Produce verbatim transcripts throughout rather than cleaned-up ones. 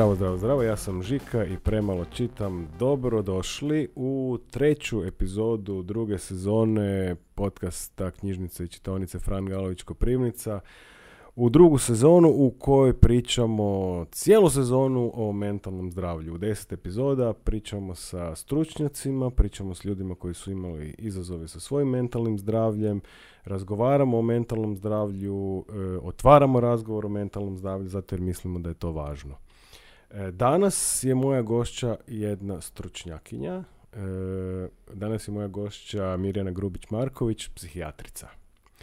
Zdravo, zdravo, zdravo, ja sam Žika i premalo čitam. Dobro došli u treću epizodu druge sezone podcasta Knjižnice i čitaonice Fran Galović Koprivnica. U drugu sezonu u kojoj pričamo cijelu sezonu o mentalnom zdravlju. U deset epizoda pričamo sa stručnjacima, pričamo s ljudima koji su imali izazove sa svojim mentalnim zdravljem, razgovaramo o mentalnom zdravlju, e, otvaramo razgovor o mentalnom zdravlju zato jer mislimo da je to važno. E, danas je moja gošća jedna stručnjakinja. E, danas je moja gošća Mirjana Grubić-Marković, psihijatrica.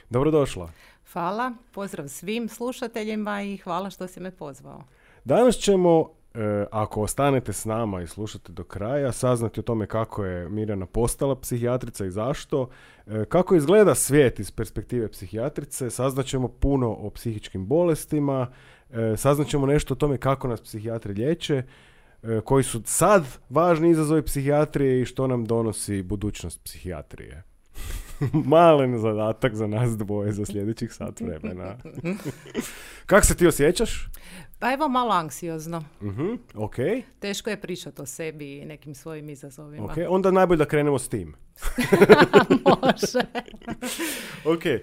Dobrodošla. Hvala, pozdrav svim slušateljima i hvala što si me pozvao. Danas ćemo, e, ako ostanete s nama i slušate do kraja, saznati o tome kako je Mirjana postala psihijatrica i zašto, e, kako izgleda svijet iz perspektive psihijatrice, saznaćemo puno o psihičkim bolestima, e, saznaćemo nešto o tome kako nas psihijatri liječe, e, koji su sad važni izazovi psihijatrije i što nam donosi budućnost psihijatrije. Malen zadatak za nas dvoje za sljedećih sat vremena. Kako se ti osjećaš? Pa evo malo anksiozno. Uh-huh, ok. Teško je pričati o sebi i nekim svojim izazovima. Ok, onda najbolje da krenemo s tim. Može. Ok, e,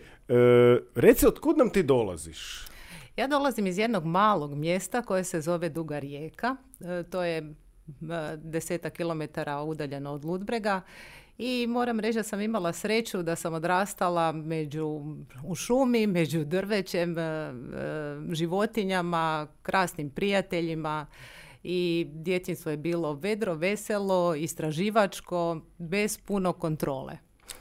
reci otkud nam ti dolaziš? Ja dolazim iz jednog malog mjesta koje se zove Duga Rijeka. E, to je e, desetak kilometara udaljeno od Ludbrega. I moram reći da sam imala sreću da sam odrastala među, u šumi, među drvećem, e, e, životinjama, krasnim prijateljima i djetinjstvo je bilo vedro, veselo, istraživačko, bez puno kontrole.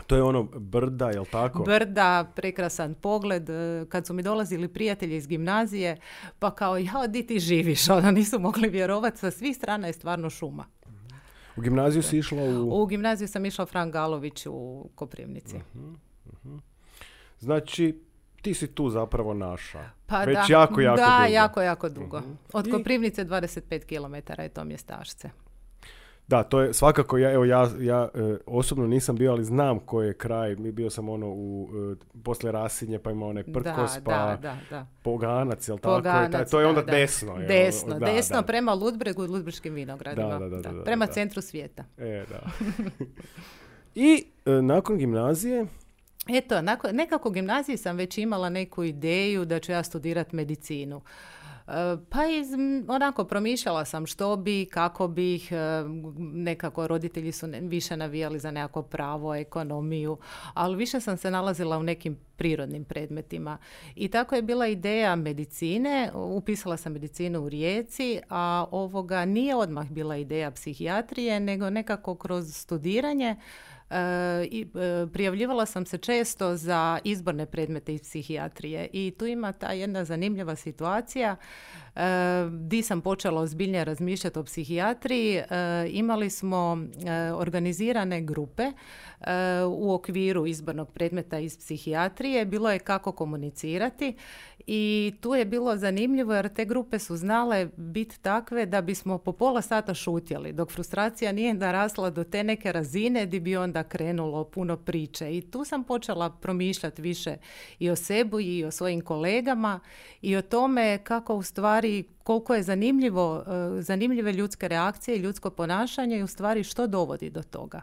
To je ono brda, jel tako? Brda, prekrasan pogled. Kad su mi dolazili prijatelji iz gimnazije, pa kao, ja, di ti živiš? Ona nisu mogli vjerovati, sa svih strana je stvarno šuma. U gimnaziju si išla u... U gimnaziju sam išla Fran Galović u Koprivnici. Uh-huh, uh-huh. Znači, ti si tu zapravo naša. Pa Već da, jako, jako da, dugo. jako, jako dugo. Uh-huh. Od I... Koprivnice dvadeset pet kilometara je to mjestašce. Da, to je svakako, ja, evo ja, ja e, osobno nisam bio, ali znam koji je kraj. Mi bio sam ono u, e, poslije Rasinje, pa ima onaj Prkos, da, pa da, da, da. Poganac, jel Poganac, tako? To je onda da, desno. Da. Jel? Desno, da, desno da. prema Ludbregu i Ludbreškim vinogradima. Da, da, da, da, da, prema da. centru svijeta. E, da. I e, nakon gimnazije... Eto, nakon, nekako u gimnaziji sam već imala neku ideju da ću ja studirati medicinu. Pa iz, onako promišljala sam što bi, kako bih, nekako roditelji su više navijali za nekako pravo, ekonomiju, ali više sam se nalazila u nekim prirodnim predmetima. I tako je bila ideja medicine, upisala sam medicinu u Rijeci, a ovoga nije odmah bila ideja psihijatrije, nego nekako kroz studiranje. E, i, e, prijavljivala sam se često za izborne predmete iz psihijatrije i tu ima ta jedna zanimljiva situacija e, di sam počela ozbiljnije razmišljati o psihijatriji. E, imali smo e, organizirane grupe e, u okviru izbornog predmeta iz psihijatrije. Bilo je kako komunicirati i tu je bilo zanimljivo jer te grupe su znale biti takve da bismo po pola sata šutjeli, dok frustracija nije narasla do te neke razine di bi onda krenulo puno priče. I tu sam počela promišljati više i o sebi i o svojim kolegama i o tome kako u stvari koliko je zanimljivo, zanimljive ljudske reakcije i ljudsko ponašanje i u stvari što dovodi do toga.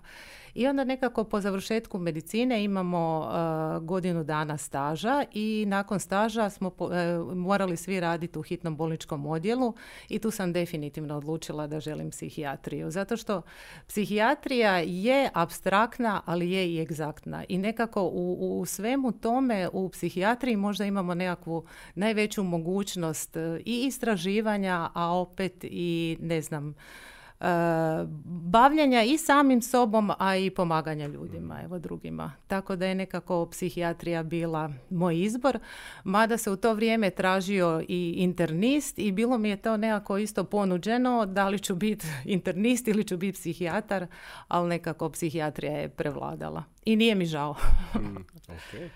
I onda nekako po završetku medicine imamo uh, godinu dana staža i nakon staža smo po, uh, morali svi raditi u hitnom bolničkom odjelu i tu sam definitivno odlučila da želim psihijatriju. Zato što psihijatrija je apstraktna, ali je i egzaktna. I nekako u, u svemu tome u psihijatriji možda imamo nekakvu najveću mogućnost i istraživanja, a opet i ne znam, Uh, bavljenja i samim sobom, a i pomaganja ljudima, evo drugima. Tako da je nekako psihijatrija bila moj izbor, mada se u to vrijeme tražio i internist i bilo mi je to nekako isto ponuđeno, da li ću biti internist ili ću biti psihijatar, ali nekako psihijatrija je prevladala. I nije mi žao. mm, okay.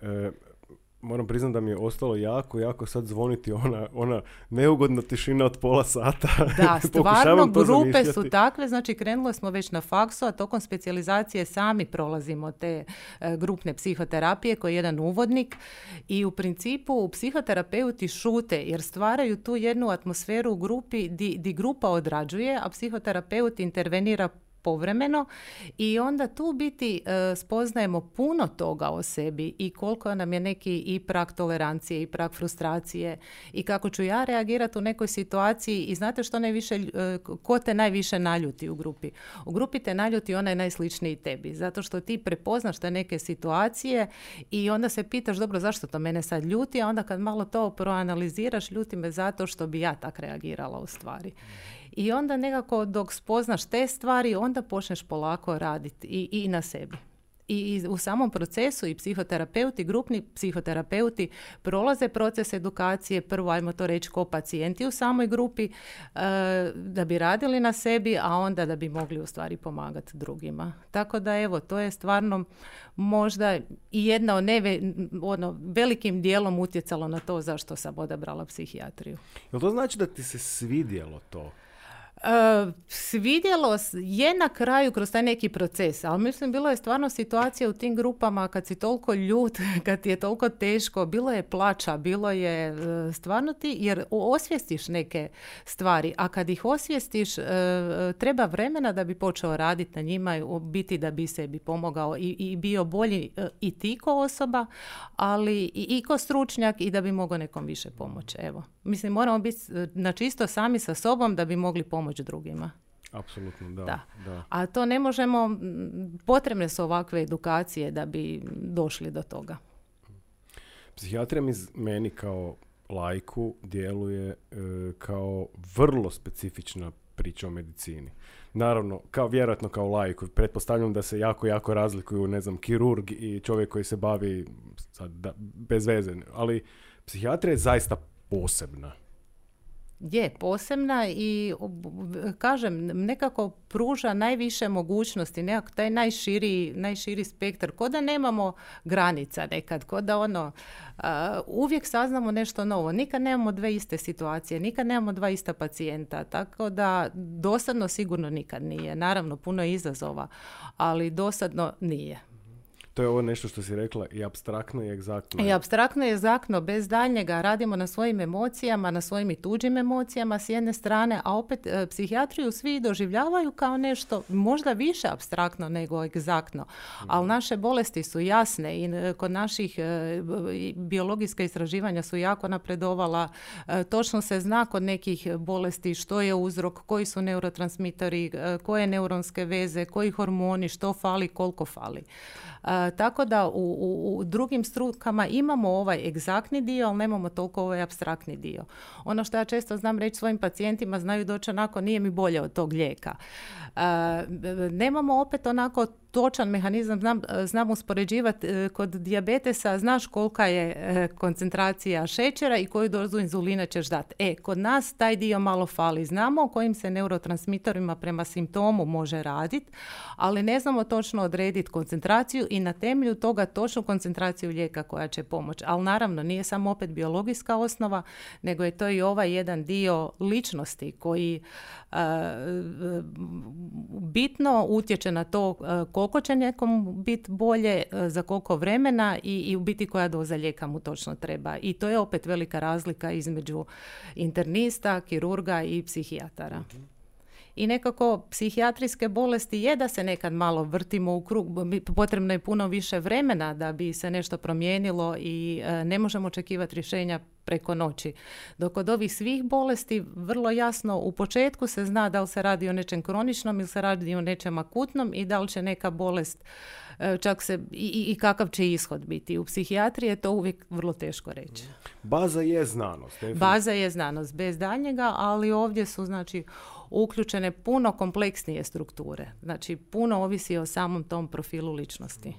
e, moram priznati da mi je ostalo jako, jako sad zvoniti ona, ona neugodna tišina od pola sata. Da, stvarno grupe su takve, znači krenuli smo već na faksu, a tokom specijalizacije sami prolazimo te e, grupne psihoterapije koji je jedan uvodnik i u principu psihoterapeuti šute jer stvaraju tu jednu atmosferu u grupi di, di grupa odrađuje, a psihoterapeut intervenira povremeno i onda tu biti e, spoznajemo puno toga o sebi i koliko nam je neki i prag tolerancije i prag frustracije i kako ću ja reagirati u nekoj situaciji i znate što najviše, e, ko te najviše naljuti u grupi? U grupi te naljuti onaj najsličniji tebi, zato što ti prepoznaš te neke situacije i onda se pitaš dobro zašto to mene sad ljuti, a onda kad malo to proanaliziraš ljuti me zato što bi ja tak reagirala u stvari. I onda nekako dok spoznaš te stvari, onda počneš polako raditi i, i na sebi. I, I u samom procesu i psihoterapeuti, grupni psihoterapeuti prolaze proces edukacije, prvo ajmo to reći ko pacijenti u samoj grupi, e, da bi radili na sebi, a onda da bi mogli u stvari pomagati drugima. Tako da evo, to je stvarno možda i jedna od neve, ono, velikim dijelom utjecalo na to zašto sam odabrala psihijatriju. Jel to znači da ti se svidjelo to? Uh, svidjelo je na kraju kroz taj neki proces, ali mislim bilo je stvarno situacija u tim grupama kad si toliko ljut, kad ti je toliko teško, bilo je plača, bilo je uh, stvarno ti, jer osvijestiš neke stvari, a kad ih osvijestiš uh, treba vremena da bi počeo raditi na njima, biti da bi sebi pomogao i, i bio bolji uh, i ti ko osoba, ali i, i ko stručnjak i da bi mogao nekom više pomoći. Evo, mislim moramo biti na čisto sami sa sobom da bi mogli pomoći drugima. Apsolutno, da, da. da. A to ne možemo, potrebne su ovakve edukacije da bi došli do toga. Psihijatrija mi meni kao laiku djeluje e, kao vrlo specifična priča o medicini. Naravno, kao vjerojatno kao laiku, pretpostavljam da se jako, jako razlikuju, ne znam, kirurg i čovjek koji se bavi sad, da, bez veze, ali psihijatrija je zaista posebna. Je posebna i kažem nekako pruža najviše mogućnosti, nekako taj najširi, najširi spektar, ko da nemamo granica nekad, ko da ono uh, uvijek saznamo nešto novo, nikad nemamo dve iste situacije, nikad nemamo dva ista pacijenta, tako da dosadno sigurno nikad nije, naravno puno je izazova, ali dosadno nije. To je ovo nešto što si rekla i apstraktno i egzaktno. I apstraktno i egzaktno, bez daljnjega radimo na svojim emocijama, na svojim i tuđim emocijama s jedne strane, a opet e, psihijatriju svi doživljavaju kao nešto možda više apstraktno nego egzaktno. Mm. Ali naše bolesti su jasne i e, kod naših e, biologijska istraživanja su jako napredovala. E, točno se zna kod nekih bolesti što je uzrok, koji su neurotransmitori, e, koje neuronske veze, koji hormoni, što fali, koliko fali. Uh, tako da u, u, u drugim strukama imamo ovaj egzaktni dio, ali nemamo toliko ovaj apstraktni dio. Ono što ja često znam reći svojim pacijentima, znaju doći onako, nije mi bolje od tog lijeka. Uh, nemamo opet onako točan mehanizam, znam, znam uspoređivati kod dijabetesa, znaš kolika je koncentracija šećera i koju dozu inzulina ćeš dati. E, kod nas taj dio malo fali. Znamo o kojim se neurotransmitorima prema simptomu može raditi, ali ne znamo točno odrediti koncentraciju i na temelju toga točnu koncentraciju lijeka koja će pomoći. Ali naravno, nije samo opet biologijska osnova, nego je to i ovaj jedan dio ličnosti koji uh, bitno utječe na to uh, koliko će nekom biti bolje, za koliko vremena i, i u biti koja doza lijeka mu točno treba. I to je opet velika razlika između internista, kirurga i psihijatara. Mm-hmm. I nekako psihijatrijske bolesti je da se nekad malo vrtimo u krug, potrebno je puno više vremena da bi se nešto promijenilo i e, ne možemo očekivati rješenja preko noći. Dok od ovih svih bolesti vrlo jasno u početku se zna da li se radi o nečem kroničnom ili se radi o nečem akutnom i da li će neka bolest e, čak se i, i kakav će ishod biti. U psihijatriji je to uvijek vrlo teško reći. Baza je znanost. Definitivno. Baza je znanost, bez daljnjega, ali ovdje su znači uključene puno kompleksnije strukture. Znači, puno ovisi o samom tom profilu ličnosti.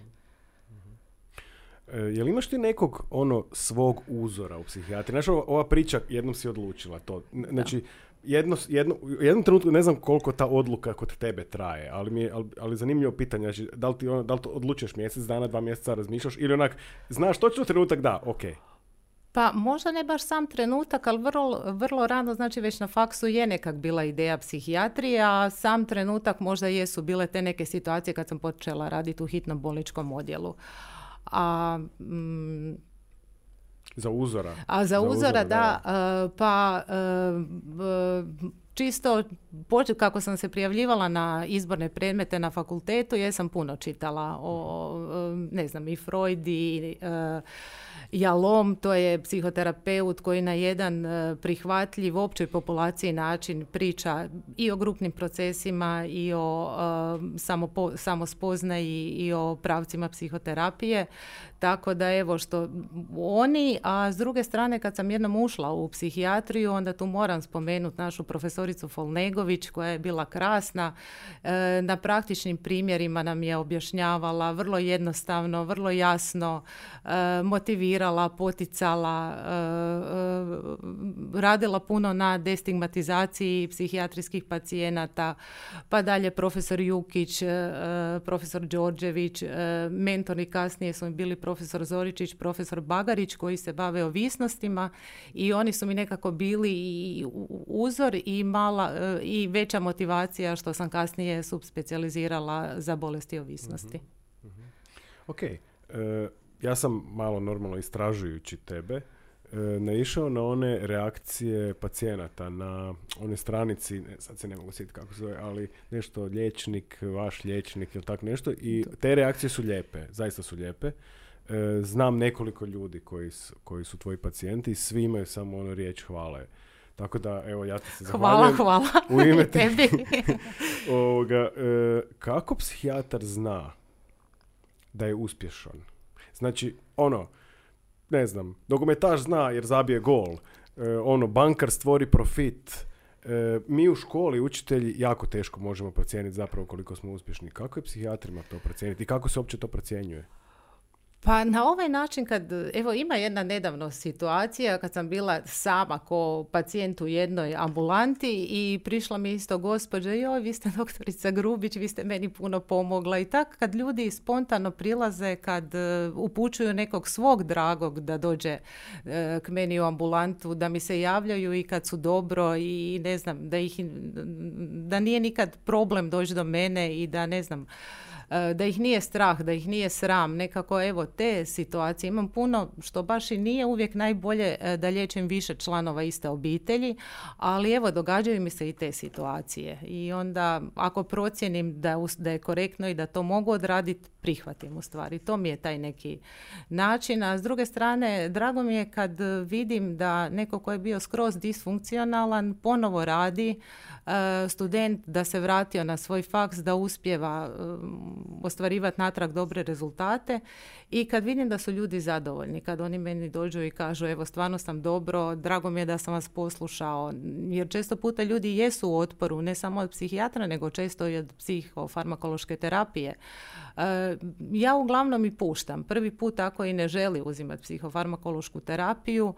E, je li imaš ti nekog ono svog uzora u psihijatriji? Znači, ova priča, jednom si odlučila to. Znači, jedno, jedno, u jednom trenutku ne znam koliko ta odluka kod tebe traje, ali mi je ali, ali zanimljivo pitanje, znači, da li ti ono, da li to odlučuješ mjesec dana, dva mjeseca, razmišljaš ili onak, znaš točno trenutak da, ok. Pa možda ne baš sam trenutak, ali vrlo, vrlo rano, znači već na faksu je nekak bila ideja psihijatrije, a sam trenutak možda jesu bile te neke situacije kad sam počela raditi u hitnom bolničkom odjelu. A... Mm, Za uzora. A za, za uzora, uzora, da. da. Uh, pa uh, čisto, kako sam se prijavljivala na izborne predmete na fakultetu, jesam puno čitala o, ne znam, i Freud i uh, Jalom, to je psihoterapeut koji na jedan uh, prihvatljiv općoj populaciji način priča i o grupnim procesima i o uh, samopo, samospoznaji i o pravcima psihoterapije. Tako da evo što oni, a s druge strane kad sam jednom ušla u psihijatriju, onda tu moram spomenuti našu profesoricu Folnegović koja je bila krasna. E, na praktičnim primjerima nam je objašnjavala vrlo jednostavno, vrlo jasno, e, motivirala, poticala, e, e, radila puno na destigmatizaciji psihijatrijskih pacijenata, pa dalje profesor Jukić, e, profesor Đorđević, e, mentori kasnije su mi bili profesor profesor Zoričić, profesor Bagarić koji se bave ovisnostima i oni su mi nekako bili i uzor i mala i veća motivacija što sam kasnije subspecijalizirala za bolesti ovisnosti. Mm-hmm. Mm-hmm. Ok, e, ja sam malo normalno istražujući tebe e, naišao na one reakcije pacijenata na one stranici, ne, sad se ne mogu sjetiti kako se zove, ali nešto liječnik, vaš liječnik ili tak nešto i te reakcije su lijepe, zaista su lijepe. Znam nekoliko ljudi koji su, koji su tvoji pacijenti i svi imaju samo ono riječ hvale. Tako da, evo, ja ti se zahvaljujem. Hvala, hvala. U ime tebi. Ovoga, e, kako psihijatar zna da je uspješan? Znači, ono, ne znam, nogometaš zna jer zabije gol. E, ono, bankar stvori profit. E, mi u školi, učitelji, jako teško možemo procijeniti zapravo koliko smo uspješni. Kako je psihijatrima to procijeniti i kako se uopće to procjenjuje? Pa na ovaj način kad, evo ima jedna nedavno situacija kad sam bila sama ko pacijent u jednoj ambulanti i prišla mi isto gospođa, joj vi ste doktorica Grubić, vi ste meni puno pomogla i tak kad ljudi spontano prilaze, kad uh, upućuju nekog svog dragog da dođe uh, k meni u ambulantu, da mi se javljaju i kad su dobro i ne znam, da, ih, da nije nikad problem doći do mene i da ne znam, da ih nije strah, da ih nije sram, nekako evo te situacije. Imam puno što baš i nije uvijek najbolje da liječim više članova iste obitelji, ali evo događaju mi se i te situacije. I onda ako procijenim da, da je korektno i da to mogu odraditi, prihvatim u stvari. To mi je taj neki način. A s druge strane, drago mi je kad vidim da neko ko je bio skroz disfunkcionalan ponovo radi, student da se vratio na svoj faks, da uspijeva ostvarivati natrag dobre rezultate i kad vidim da su ljudi zadovoljni, kad oni meni dođu i kažu evo stvarno sam dobro, drago mi je da sam vas poslušao, jer često puta ljudi jesu u otporu, ne samo od psihijatra, nego često i od psihofarmakološke terapije. Ja uglavnom i puštam. Prvi put ako i ne želi uzimati psihofarmakološku terapiju,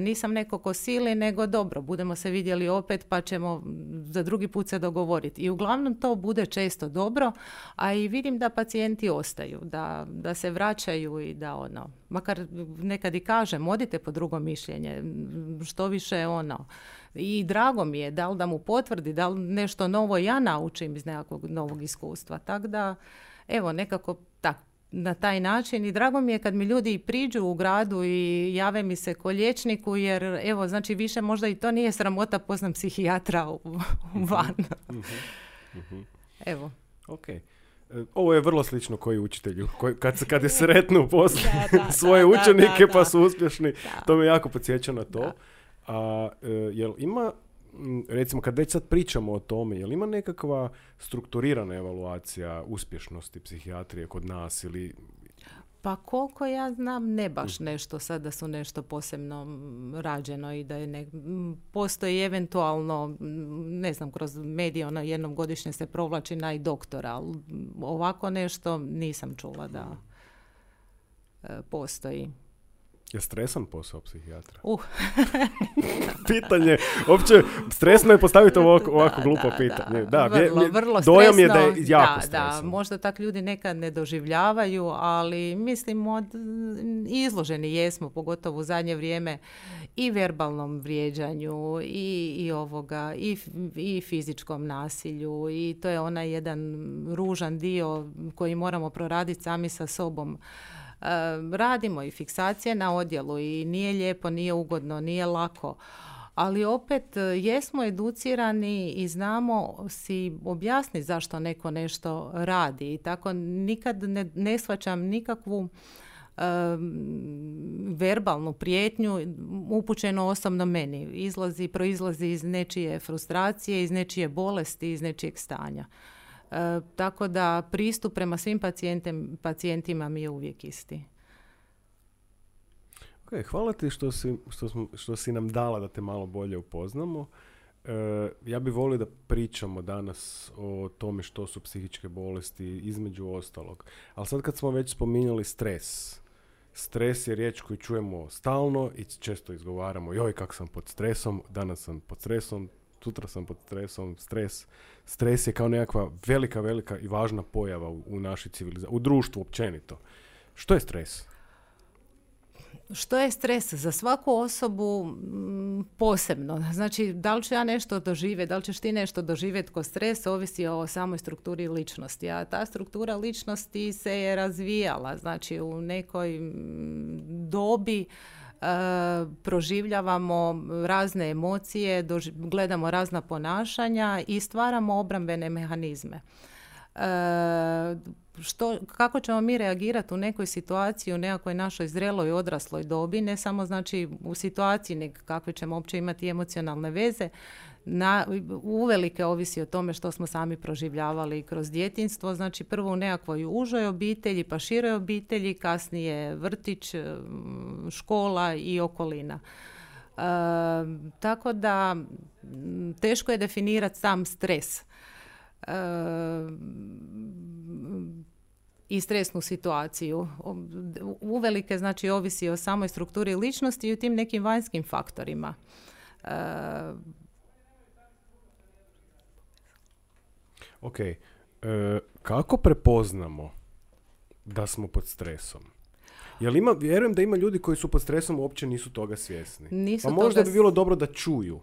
nisam neko ko sili, nego dobro, budemo se vidjeli opet pa ćemo za drugi put se dogovoriti. I uglavnom to bude često dobro, a i vidim da pacijenti ostaju, da, da se vraćaju i da ono, makar nekad i kažem, odite po drugo mišljenje, što više ono. I drago mi je, da li da mu potvrdi, da li nešto novo ja naučim iz nekakvog novog iskustva. Tako da, evo, nekako tako, na taj način i drago mi je kad mi ljudi priđu u gradu i jave mi se ko liječniku, jer evo, znači više možda i to nije sramota, poznam psihijatra u, u van. Evo. Ok. Ovo je vrlo slično koji učitelju, koji, kad, kad je sretnu poslije svoje da, učenike da, da, pa su uspješni, da. To me jako podsjeća na to. Da. A jel ima, recimo kad već sad pričamo o tome, jel ima nekakva strukturirana evaluacija uspješnosti psihijatrije kod nas ili... Pa koliko ja znam, ne baš nešto sad da su nešto posebno rađeno i da je ne, postoji eventualno, ne znam, kroz medije ono jednom godišnje se provlači naj doktora, ali ovako nešto nisam čula da e, postoji. Je stresan posao psihijatra? Uh. Pitanje, uopće stresno je postaviti ovako, ovako glupo da, pitanje. Da, da, vrlo, vje, vrlo dojam stresno, je da je jako da, stresno. Da, možda tak ljudi nekad ne doživljavaju, ali mislim od, izloženi jesmo, pogotovo u zadnje vrijeme, i verbalnom vrijeđanju i, i ovoga i, i fizičkom nasilju, i to je onaj jedan ružan dio koji moramo proraditi sami sa sobom. Uh, radimo i fiksacije na odjelu i nije lijepo, nije ugodno, nije lako, ali opet jesmo educirani i znamo si objasniti zašto neko nešto radi, i tako nikad ne, ne shvaćam nikakvu uh, verbalnu prijetnju upućenu osobno meni. Izlazi, proizlazi iz nečije frustracije, iz nečije bolesti, iz nečijeg stanja. E, tako da pristup prema svim pacijentima mi je uvijek isti. Okay, hvala ti što si, što, smo, što si nam dala da te malo bolje upoznamo. E, ja bih volio da pričamo danas o tome što su psihičke bolesti, između ostalog. Ali sad kad smo već spominjali stres, stres je riječ koju čujemo stalno i često izgovaramo, joj kak sam pod stresom, danas sam pod stresom, sutra sam pod stresom, stres. Stres je kao nekakva velika, velika i važna pojava u, u našoj civilizaciji, u društvu općenito. Što je stres? Što je stres? Za svaku osobu m, posebno. Znači, da li ću ja nešto doživjeti, da li ćeš ti nešto doživjeti ko stres, ovisi o samoj strukturi ličnosti. A ta struktura ličnosti se je razvijala. Znači, u nekoj m, dobi Uh, proživljavamo razne emocije, doži- gledamo razna ponašanja i stvaramo obrambene mehanizme. Uh, što, kako ćemo mi reagirati u nekoj situaciji, u nekakvoj našoj zreloj odrasloj dobi, ne samo znači u situaciji, nego kakve ćemo uopće imati emocionalne veze, na, uvelike ovisi o tome što smo sami proživljavali kroz djetinjstvo. Znači prvo u nekakvoj užoj obitelji, pa široj obitelji, kasnije vrtić, škola i okolina. E, tako da teško je definirati sam stres. E, i stresnu situaciju. Uvelike znači ovisi o samoj strukturi ličnosti i o tim nekim vanjskim faktorima. E, Ok, e, kako prepoznamo da smo pod stresom? Jel ima, vjerujem da ima ljudi koji su pod stresom uopće nisu toga svjesni. Nisu pa možda toga... bi bilo dobro da čuju.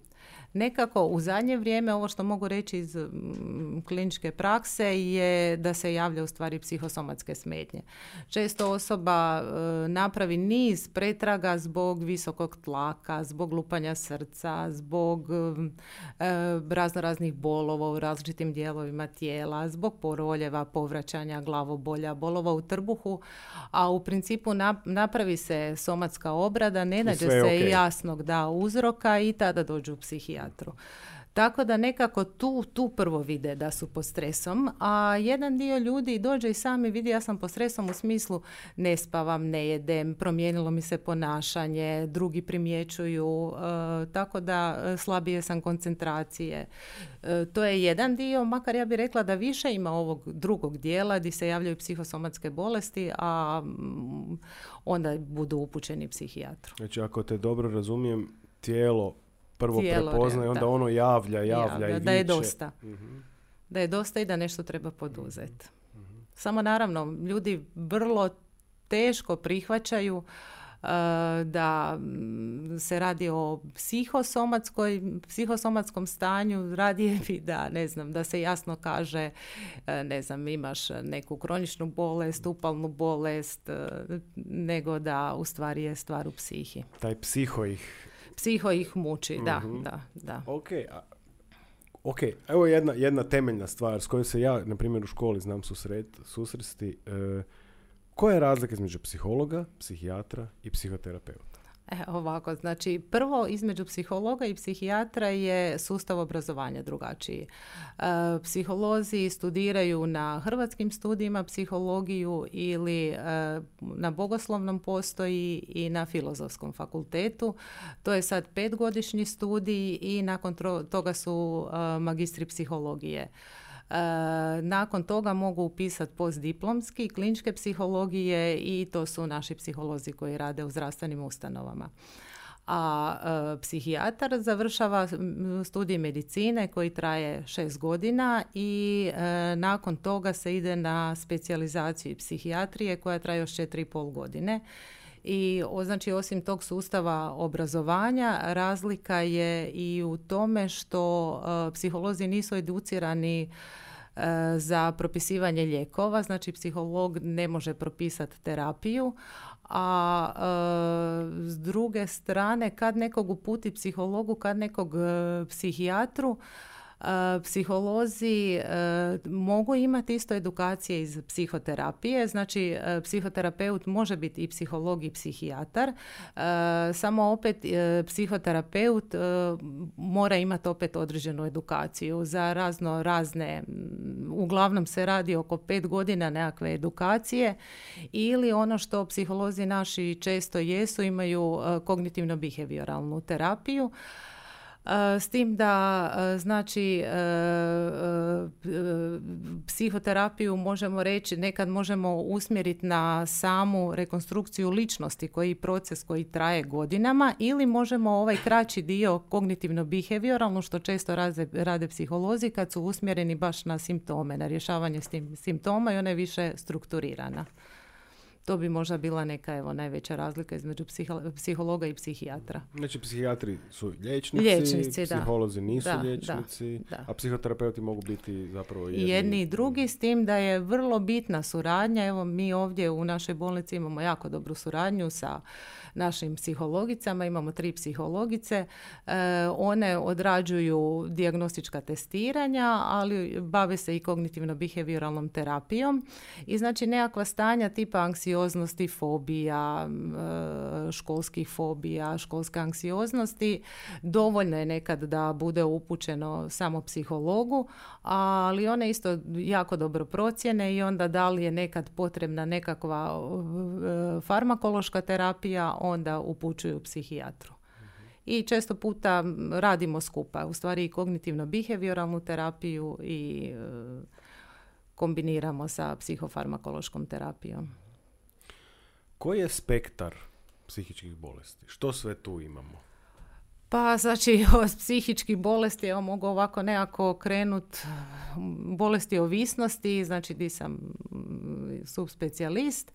Nekako u zadnje vrijeme, ovo što mogu reći iz m, kliničke prakse, je da se javlja u stvari psihosomatske smetnje. Često osoba e, napravi niz pretraga zbog visokog tlaka, zbog lupanja srca, zbog e, razno raznih bolova u različitim dijelovima tijela, zbog poroljeva, povraćanja, glavobolja, bolova u trbuhu, a u principu na, napravi se somatska obrada, ne nađe se okay. jasnog da uzroka i tada dođu u psihijatru. Tako da nekako tu, tu prvo vide da su pod stresom, a jedan dio ljudi dođe i sami vidi ja sam pod stresom u smislu ne spavam, ne jedem, promijenilo mi se ponašanje, drugi primjećuju, e, tako da slabije sam koncentracije. E, to je jedan dio, makar ja bih rekla da više ima ovog drugog dijela gdje se javljaju psihosomatske bolesti, a m, onda budu upućeni psihijatru. Znači ako te dobro razumijem, tijelo prvo Tijelo, prepoznaje, onda da. ono javlja, javlja, javlja i viče. Da je dosta. Uh-huh. Da je dosta i da nešto treba poduzeti. Uh-huh. Samo naravno, ljudi vrlo teško prihvaćaju uh, da se radi o psihosomatskoj, psihosomatskom stanju, radije bi da, ne znam, da se jasno kaže, uh, ne znam, imaš neku kroničnu bolest, upalnu bolest, uh, nego da u stvari je stvar u psihi. Taj psiho ih Psiho ih muči, da, mm-hmm. da, da. Ok, a, ok, evo jedna, jedna temeljna stvar s kojom se ja, na primjer, u školi znam susret, susresti. E, koja je razlika između psihologa, psihijatra i psihoterapeuta? E, ovako, znači prvo između psihologa i psihijatra je sustav obrazovanja drugačiji. E, psiholozi studiraju na hrvatskim studijima psihologiju ili e, na bogoslovnom postoji i na filozofskom fakultetu. To je sad petgodišnji studij i nakon tro- toga su e, magistri psihologije. nakon toga mogu upisati postdiplomski, kliničke psihologije i to su naši psiholozi koji rade u zdravstvenim ustanovama. A e, psihijatar završava studij medicine koji traje šest godina i e, nakon toga se ide na specijalizaciju psihijatrije koja traje još četiri i pol godine. I znači osim tog sustava obrazovanja razlika je i u tome što e, psiholozi nisu educirani e, za propisivanje lijekova, znači psiholog ne može propisati terapiju, a e, s druge strane kad nekog uputi psihologu, kad nekog e, psihijatru, e, psiholozi e, mogu imati isto edukacije iz psihoterapije, znači e, psihoterapeut može biti i psiholog i psihijatar, e, samo opet e, psihoterapeut e, mora imati opet određenu edukaciju za razno razne, uglavnom se radi oko pet godina nekakve edukacije ili ono što psiholozi naši često jesu, imaju e, kognitivno-behavioralnu terapiju. S tim da znači psihoterapiju možemo reći, nekad možemo usmjeriti na samu rekonstrukciju ličnosti koji je proces koji traje godinama ili možemo ovaj kraći dio kognitivno-behavioralno što često rade, rade psiholozi kad su usmjereni baš na simptome, na rješavanje simptoma i ona je više strukturirana. To bi možda bila neka evo, najveća razlika između psiho- psihologa i psihijatra. Znači, psihijatri su liječnici, liječnici psiholozi da. nisu da, liječnici, da, da. a psihoterapeuti mogu biti zapravo jedni, jedni i drugi, s tim da je vrlo bitna suradnja. Evo, mi ovdje u našoj bolnici imamo jako dobru suradnju sa našim psihologicama, imamo tri psihologice, e, one odrađuju dijagnostička testiranja, ali bave se i kognitivno-behavioralnom terapijom i znači nekakva stanja tipa anksioznosti, fobija, e, školskih fobija, školske anksioznosti, dovoljno je nekad da bude upućeno samo psihologu, ali one isto jako dobro procjene i onda da li je nekad potrebna nekakva e, farmakološka terapija, onda upućuju psihijatru. Mm-hmm. I često puta radimo skupa, u stvari i kognitivno-behavioralnu terapiju i e, kombiniramo sa psihofarmakološkom terapijom. Koji je spektar psihičkih bolesti? Što sve tu imamo? Pa, znači, od psihičkih bolesti, evo mogu ovako nekako krenut, bolesti ovisnosti, znači di sam subspecijalist,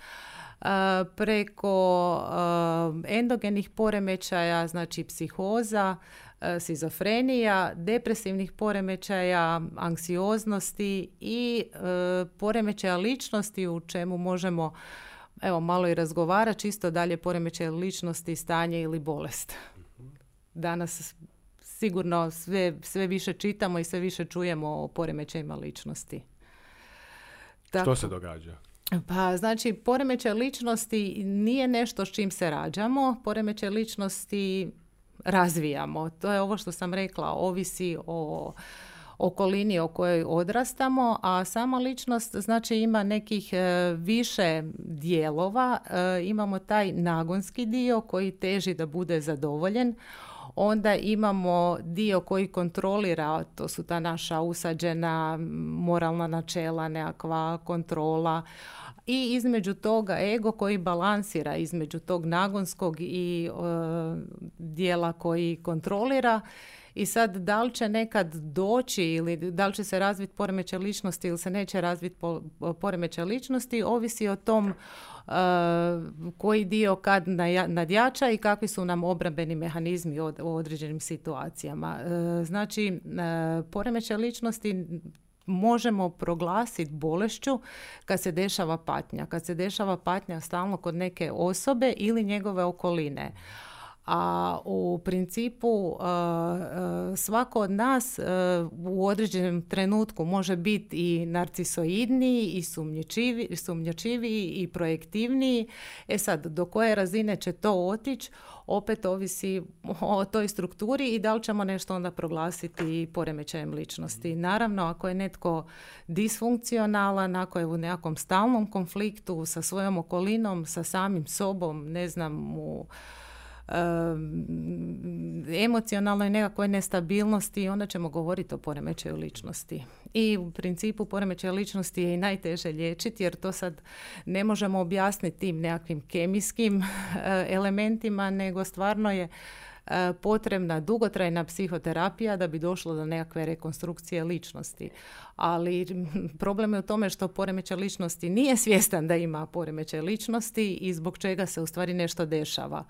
preko endogenih poremećaja, znači psihoza, šizofrenija, depresivnih poremećaja, anksioznosti i poremećaja ličnosti u čemu možemo evo malo i razgovara, čisto dalje poremećaj ličnosti, stanje ili bolest. Danas sigurno sve, sve više čitamo i sve više čujemo o poremećajima ličnosti. Tako, što se događa? Pa znači poremećaj ličnosti nije nešto s čim se rađamo, poremećaj ličnosti razvijamo. To je ovo što sam rekla, ovisi o okolini o kojoj odrastamo, a sama ličnost znači ima nekih e, više dijelova. E, imamo taj nagonski dio koji teži da bude zadovoljen. Onda imamo dio koji kontrolira, to su ta naša usađena moralna načela, nekakva kontrola. I između toga ego koji balansira između tog nagonskog i e, dijela koji kontrolira. I sad, da li će nekad doći ili da li će se razviti poremećaj ličnosti ili se neće razviti po, poremećaj ličnosti, ovisi o tom uh, koji dio kad nadjača i kakvi su nam obrambeni mehanizmi od, u određenim situacijama. Uh, znači, uh, poremećaj ličnosti možemo proglasiti bolešću kad se dešava patnja. Kad se dešava patnja stalno kod neke osobe ili njegove okoline. A u principu svako od nas u određenom trenutku može biti i narcisoidniji i sumnjičiviji i projektivniji. E sad, do koje razine će to otići, opet ovisi o toj strukturi i da li ćemo nešto onda proglasiti poremećajem ličnosti. Naravno, ako je netko disfunkcionalan, ako je u nekakvom stalnom konfliktu sa svojom okolinom, sa samim sobom, ne znam, u emocionalnoj nekakvoj nestabilnosti, onda ćemo govoriti o poremećaju ličnosti. I u principu poremećaj ličnosti je i najteže liječiti, jer to sad ne možemo objasniti tim nekakvim kemijskim elementima, nego stvarno je potrebna dugotrajna psihoterapija da bi došlo do nekakve rekonstrukcije ličnosti. Ali problem je u tome što poremećaj ličnosti nije svjestan da ima poremećaj ličnosti i zbog čega se u stvari nešto dešava.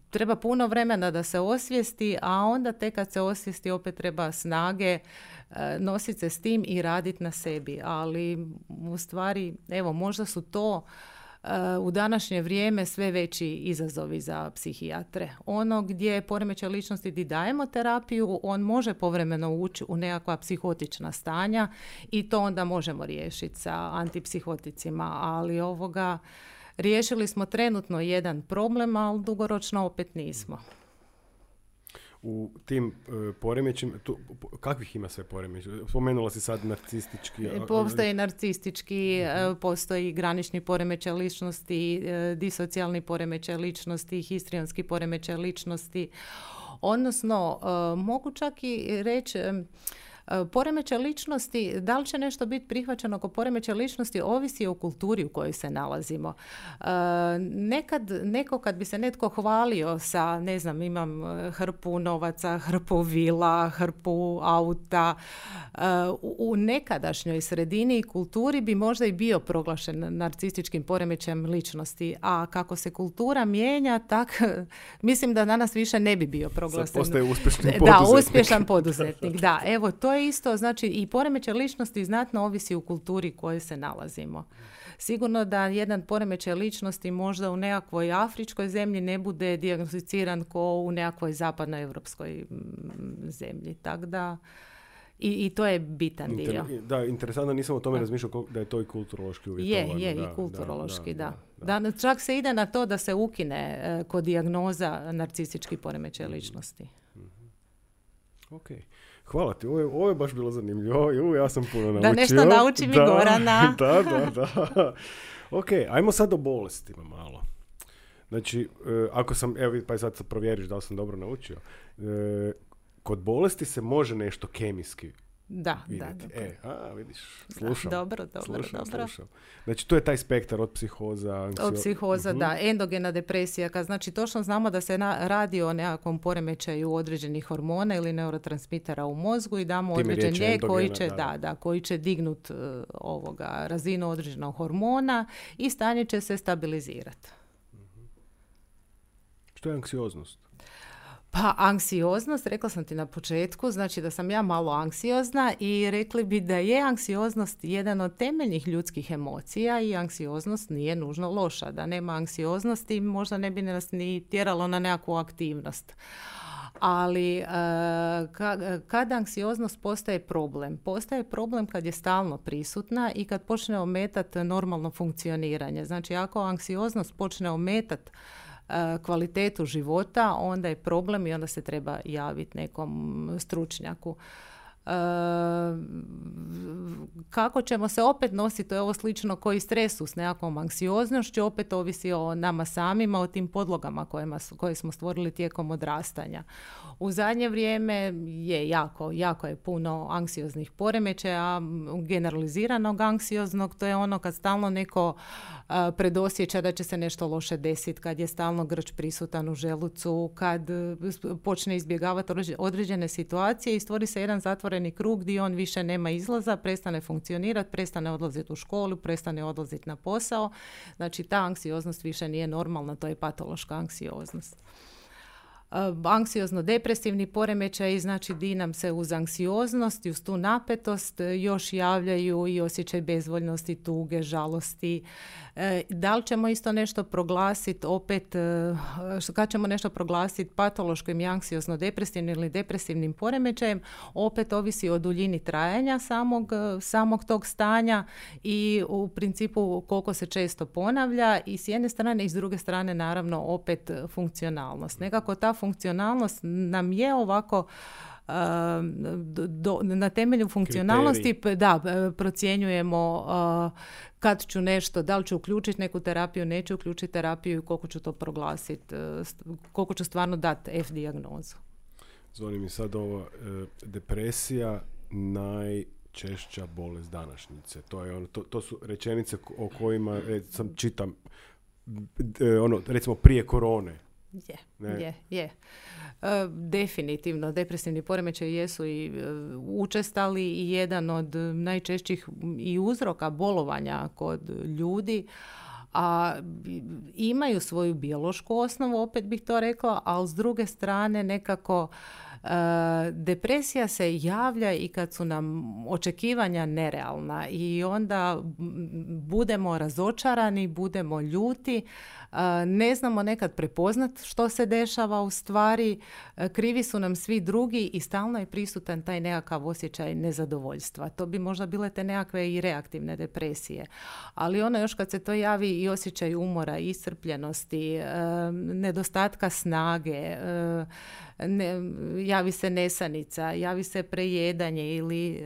Treba puno vremena da se osvijesti, a onda tek kad se osvijesti opet treba snage nositi se s tim i raditi na sebi. Ali u stvari, evo, možda su to u današnje vrijeme sve veći izazovi za psihijatre. Ono gdje poremećaj ličnosti gdje dajemo terapiju, on može povremeno ući u nekakva psihotična stanja i to onda možemo riješiti sa antipsihoticima, ali ovoga riješili smo trenutno jedan problem, ali dugoročno opet nismo. U tim uh, poremećima, tu, kakvih ima sve poremeća? Spomenula si sad narcistički. Postoji narcistički, uh-huh. postoji granični poremećaj ličnosti, disocijalni poremećaj ličnosti, histrionski poremećaj ličnosti. Odnosno, uh, mogu čak i reći, poremećaj ličnosti, da li će nešto biti prihvaćeno kao poremećaj ličnosti, ovisi o kulturi u kojoj se nalazimo. E, nekad, neko kad bi se netko hvalio sa, ne znam, imam hrpu novaca, hrpu vila, hrpu auta, e, u, u nekadašnjoj sredini i kulturi bi možda i bio proglašen narcističkim poremećajem ličnosti, a kako se kultura mijenja, tak mislim da danas više ne bi bio proglašen. Sad postaje uspješan poduzetnik. Da, uspješan poduzetnik, da. Evo, to je isto, znači i poremećaj ličnosti znatno ovisi u kulturi u kojoj se nalazimo. Sigurno da jedan poremećaj ličnosti možda u nekakvoj afričkoj zemlji ne bude dijagnosticiran kao u nekakvoj zapadnoevropskoj zemlji. Tako da i, i to je bitan Inter, dio. Da, interesantno, nisam o tome da. razmišljao da je to i kulturološki uvjetovano. Je, je, da, i kulturološki, da, da, da. da. da čak se ide na to da se ukine uh, kod dijagnoza narcistički poremećaj ličnosti. Mm-hmm. Ok. Hvala ti, ovo je, ovo je baš bilo zanimljivo, ovo ja sam puno naučio. Da nešto nauči mi da, Gorana. Da, da, da. Ok, ajmo sad o bolestima malo. Znači, e, ako sam, evo pa sad sad provjeriš da li sam dobro naučio. E, kod bolesti se može nešto kemijski Da, vidjeti. da, da. E, a, vidiš, slušam. Da, dobro, dobro, slušam, dobro. Slušam. Znači, to je taj spektar od psihoza, anksio... Od psihoza, uh-huh. da. Endogena depresija, kad znači točno znamo da se na, radi o nekakvom poremećaju određenih hormona ili neurotransmitera u mozgu i damo Time određen lijek koji će, da, da, da, koji će dignut uh, ovoga razinu određenog hormona i stanje će se stabilizirati. Uh-huh. Što je anksioznost? Pa anksioznost, rekla sam ti na početku, znači da sam ja malo anksiozna i rekli bi da je anksioznost jedan od temeljnih ljudskih emocija i anksioznost nije nužno loša. Da nema anksioznosti možda ne bi nas ni tjeralo na nekakvu aktivnost. Ali kad anksioznost postaje problem? Postaje problem kad je stalno prisutna i kad počne ometati normalno funkcioniranje. Znači ako anksioznost počne ometati kvalitetu života, onda je problem i onda se treba javiti nekom stručnjaku. E, kako ćemo se opet nositi, to je ovo slično koji stresu s nekakvom anksioznošću, opet ovisi o nama samima, o tim podlogama kojima, koje smo stvorili tijekom odrastanja. U zadnje vrijeme je jako, jako je puno anksioznih poremećaja, generaliziranog anksioznog, to je ono kad stalno neko uh, predosjeća da će se nešto loše desiti, kad je stalno grč prisutan u želucu, kad uh, počne izbjegavati određene situacije i stvori se jedan zatvoreni krug gdje on više nema izlaza, prestane funkcionirati, prestane odlaziti u školu, prestane odlaziti na posao. Znači ta anksioznost više nije normalna, to je patološka anksioznost. Anksiozno-depresivni poremećaj, znači di nam se uz anksioznost i uz tu napetost još javljaju i osjećaj bezvoljnosti, tuge, žalosti. E, da li ćemo isto nešto proglasiti opet, kad ćemo nešto proglasiti patološkim i anksiozno-depresivnim ili depresivnim poremećajem, opet ovisi o duljini trajanja samog, samog tog stanja i u principu koliko se često ponavlja i s jedne strane i s druge strane naravno opet funkcionalnost. Nekako ta funkcionalnost nam je ovako do, na temelju funkcionalnosti Kriterij. da, procjenjujemo kad ću nešto, da li ću uključiti neku terapiju, neću uključiti terapiju i koliko ću to proglasiti, koliko ću stvarno dati F dijagnozu. Zvoni mi sad ovo, depresija najčešća bolest današnjice. To, je ono, to, to su rečenice o kojima sam čitam ono, recimo prije korone. Je, je, je. E, definitivno, depresivni poremećaji jesu i e, učestali i jedan od najčešćih i uzroka bolovanja kod ljudi, a imaju svoju biološku osnovu, opet bih to rekla, ali s druge strane nekako e, depresija se javlja i kad su nam očekivanja nerealna i onda budemo razočarani, budemo ljuti, ne znamo nekad prepoznat što se dešava u stvari, krivi su nam svi drugi i stalno je prisutan taj nekakav osjećaj nezadovoljstva. To bi možda bile te nekakve i reaktivne depresije. Ali ono još kad se to javi i osjećaj umora, iscrpljenosti, nedostatka snage, ne, javi se nesanica, javi se prejedanje ili